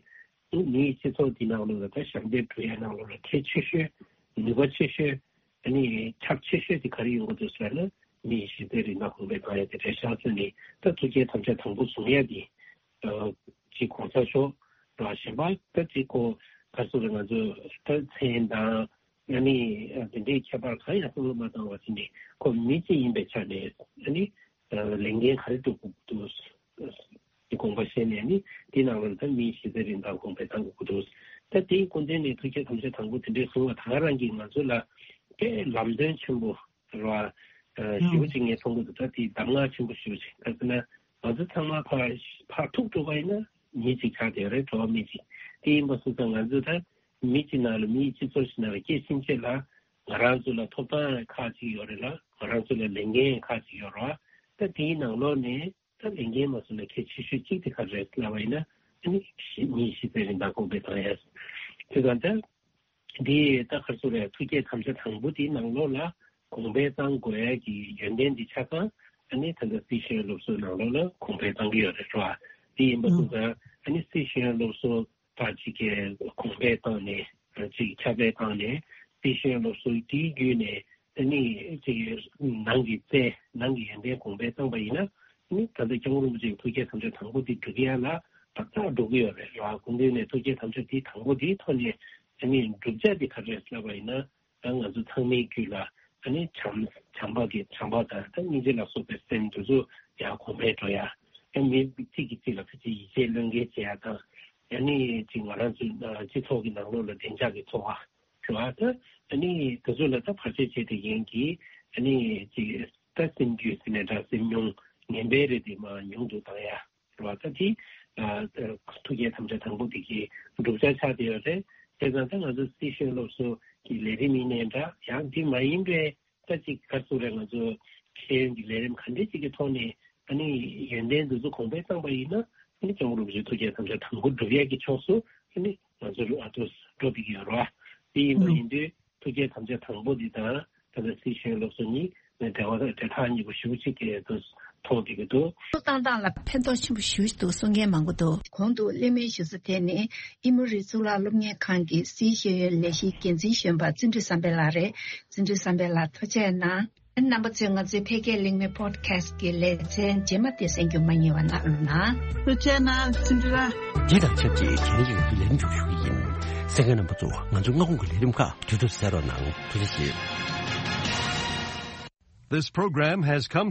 ཨ་ནི་མིའི་སྤྱི་ཚོགས་འདི་ནང་ལོགས་ལ་ད་ཞབས་འདེགས་སྒྲུབ་ཡ་ནང་ལོགས་ལ་གལ་ཆེ་ཤོས། ནུས་པ་ཆེ་ཤོས། ཨ་ནི་ཁྱབ་ཆེ་ཤོས་དེ་ག་རེ་ཡོང་གི་འདུག་ཟེར་ན། མིའི་གཞི་རྩའི་རིན་ཐང་གོང་འཕེལ་གཏང་ཡ་དེ་རེད་ཤག་ཟེར་ནས་ད་ཐུགས་བསྐྱེད་དམ་བཅའ་དང་པོ་བཟུང་ཡ་དེ། ཨ་ཅིག་གོང་ས་མཆོག་ར་གཞན་པ་ད་ཅིག་གོ་ག་ཚོད་རེད། ང་ཚོ་ད་མཚན་དང་། ཨ་ནི་དེ་འདྲའི་ཁྱད་པར་གང་ཡང་བསམ་བློ་མ་བཏང་བ་བྱས་ནས་ཁོ་མི་གཅིག་ཡིན་པའི་ཆ་ནས། ཨ་ནི་ལས་འགན་ག་རེ་སྒྲུབ་དགོས་འདུག་དེ་དགོངས་པ་བཞེས་ནས། ཨ་ནི་དེ་ནང་ལ་ད་མིའི་གཞི་རྩའི་རིན་ཐང་གོང་འཕེལ་གཏང་དགོས་འདུག་ད་དེའི་སྐུ་མདུན་ནས་ཐུགས་བསྐྱེད་དམ་བཅའ་དང་པོ་དེ་འདྲའི་གསུང་བ་ད་ག་རང་གིས་ང་ཚོ་ལ་དཔེ་ལམ་སྟོན་ཆེན་པོ་རེད་བ། ཞེ་པོ་ཅིག་ངས་མཐོང་གི་འདུག་ད་དེ་གདམས་ངག་ཆེན་པོ་ཞེ་པོ་ཅིག་ག་ཟེར་ན། ང་ཚོ་ཚང་མ་ཕར་ཕར་ཐུག་འགྲོ་བ་ཡིན་ན་མི་གཅིག་ཆགས་བསྡད་ཡོད་རེད། འགྲོ་བ་མི་གཅིག་དེ་ཡིན་པ་སོང་ཙང་ང་ཚོ་ད་མི་གཅིག་ནང་ལ་མིའི་སྤྱི་ཚོགས་ཤིག་ནང་ལ་སྐྱེས་ཕྱིན་ཆད་ལ་ང་རང་ཚོ་ལ་ཐོབ་ཐང་ཁག་ཅིག་ཡོད་རེད་ལ། ང་རང་ཚོ་ལ་ལས་འགན་ཁག་ཅིག་ཡོད་རེད་བ། ད་དེའི་ནང་ལོགས་ནས་ད་ལས་འགན་མ་སོང་ན་གལ་ཆེ་ཤོས་གཅིག་དེ་ག་རེ་རེད་ལབ་པ་ཡིན་ན། ཨ་ནི་གཞི་མིའི་གཞི་རྩའི་རིན་ཐང་གོང་འཕེལ་གཏང་ཡ། དེ་ག་ད། འདི་ད་ག་ཚོད་རེད། ཐུགས་བསྐྱེད་དམ་བཅའ་དང་པོ་དེའི་ནང་ལོགས་ལ་གོང་འཕེལ་གཏང་དགོས་ཡ་གི་ཡོན་ཏན་འདི་ཆ་ཚང་ཨ་ནི་ད་ལྟ་སི་ཤེས་ཡོན་སློབ་གསོའི་ནང་ལོགས་ལ་གོང་འཕེལ་གཏང་གི་ཡོད་རེད་བ། དེ་ཡིན་པ་སོང་ཙང་ཨ་ནི་སི་ཤེས་ཡོན་སློབ་གསོ་ད་ཅིག་གི་གོང་འཕེལ་བཏང་ནས་ཅིག་ཁྱབ་སྤེལ་བཏང་ནས་སི་ཤེས་ཡོན་སློབ་གསོ་དེའི་བརྒྱུད་ནས་ཨ་ནི་ཅིག་ནང་གི་རྩལ་ནང་གི་ཡོན་ཏན་གོང་འཕེལ་བཏང་པ་ཡིན་ན། ཨ་ནི་ད་ལྟ་སྐྱབས་མགོན་རིན་པོ་ཆེའི་ཐུགས་བསྐྱེད་དམ་བཅའ་དང་པོ་དེ་འགྲུབ་ཡ་ལ་ཏག་ཏག་འགྲོ་གི་ཡོད་རེད་བ། སྐུ་མདུན་ནས་ཐུགས་བསྐྱེད་དམ་བཅའ་དེ་དང་པོ་དེའི་ཐོག་ནས་ཨ་ནི་བསྒྲུབ་བྱ་དེ་ག་རེ་རེད་ལབ་པ་ཡིན་ན། ད་ང་ཚོ་ཚང་མའི་རྒྱུད་ལ་ཨ་ནི་བྱམས་བྱམས་པ་གི་བྱམས་པ་དང་ད་སྙིང་རྗེ་ལ་སོགས་པའི་སེམས་དེ་ཚོ་ཡར་གོང་འཕེལ་འགྲོ་ཡ། ཨ་མི་གཅིག་གིས་གཅིག་ལ་ཕལ་ཆེར་ཡིད་ཆེས་བློས་འགེལ་བྱེད་ཡ་དང་། ཨ་ནི་ཅིག་ང་རང་ཚོའི་སྤྱི་ཚོགས་ཀྱི་ནང་ལོགས་ལ་བདེ་འཇགས་ཀྱི་འཚོ་བ་རེད་བ། ད་ཨ་ནི་དེ་ཚོ་ལ་ད་བར་ཆད་བྱེད་བསྡད་མཁན་གྱི་ཨ་ནི་ཅིག་ད་སེམས་རྒྱུད་ཟེར་ནའི་འདྲ། སེམས་མྱོང་ངན་པའི་རིགས་དེ་མར་ཉུང་དུ་བཏང་ཡ། རེད་བ། ད་དེ་ཨ་ཐུགས་བསྐྱེད་དམ་བཅའ་དང་པོ་དེ་གི་བསྒྲུབ་བྱ་ཆགས་བསྡད་ཡོད་རེད། བྱས་ཙང་ད་ང་ཚོ་སི་ཤེས་ཡོན་སློབ་གསོ་གི་ལས་རིམ་ཡིན་ནའི་འདྲ། ཡང་དེ་མ་ཡིན་པའི་ད་ཅིག་ག་རེ་ཟེར་རེད། ང་ཚོ་ཤེས་ཡོན་གྱི་ལས་རིམ་ག་འདྲ་ཅིག་གི་ཐོག་ནས་ཨ་ནི་ཡོན་ཏན་འདི་ཚོ་གོང་འཕེལ་བཏང་པ་ཡིན་ན། ཨ་ནི་སྐྱབས་མགོན་རིན་པོ་ཆེའི་ཐུགས་བསྐྱེད་དམ་བཅའ་དང་པོ་འགྲུབ་ཡས་ཀྱི་ཕྱོགས་སུ་ཨ་ནི་ང་ཚོ་ཨ་ཏོ་འགྲོ་བསྡད་ཀྱི་ཡོད་རེད་བ། དེ་ཡིན་པ་ཡིན་དུས་ཐུགས་བསྐྱེད་དམ་བཅའ་དང་པོ་འདི་དང་ད་ལྟ་སི་ཤེས་ཡོན་སློབ་གསོ་གཉིས་ནས་འབྲེལ་བ་འབྲེལ་ཐག་ཉེ་པོ་ཞེ་པོ་ཅིག་གི་དུ་མཐོང་བསྡད་ཀྱི་འདུག། སློབ་སྟོན་སྟངས་ལ་ཕན་ཐོགས་ཆེན་པོ་ཞེ་པོ་ཅིག་འདུག་གསུང་མཁན་མང་པོ་འདུག། གོང་དུ་གླེང་མོལ་ཞུ་ས་དེ་ནི་ཨི་མོ་རི་གཙུག་ལག་སློབ་གཉེར་ཁང་གི་སིའི་ཤེས་ཡོན་ལས་གཞིའི་འགན་འཛིན་གཞོན་པ་བརྩོན་འགྲུས་བསམ་འཕེལ་ལགས་རེད། བརྩོན་འགྲུས་བསམ་འཕེལ་ལགས་ཐུགས་རྗེ་གནང་། རྣམ་པ་ཚོས་ང་ཚོའི་འཕེལ་རྒྱས་གླེང་མོལ་པོ་ཌི་ཁ་སི་ཊི་གི་ལེ་ཚན་རྗེས་མ་དེ་གསན་རྒྱུ་མ་བསྙེལ་བ་གནང་རོགས་གནང་། ཐུགས་རྗེ་གནང་། འདི་དང་ཆབས་ཅིག་གལ་ཡོད་དུས་ལན་འཇུག་ཞུ་གི་ཡིན། གསན་མཁན་རྣམ་པ་ཚོ་ང་ཚོའི་སྔ་དགོང་གི་ལས་རིམ་ཁག་དུས་དུས་གསན་རོགས་གནང་། ཐུགས་རྗེ་ཆེ། This program has come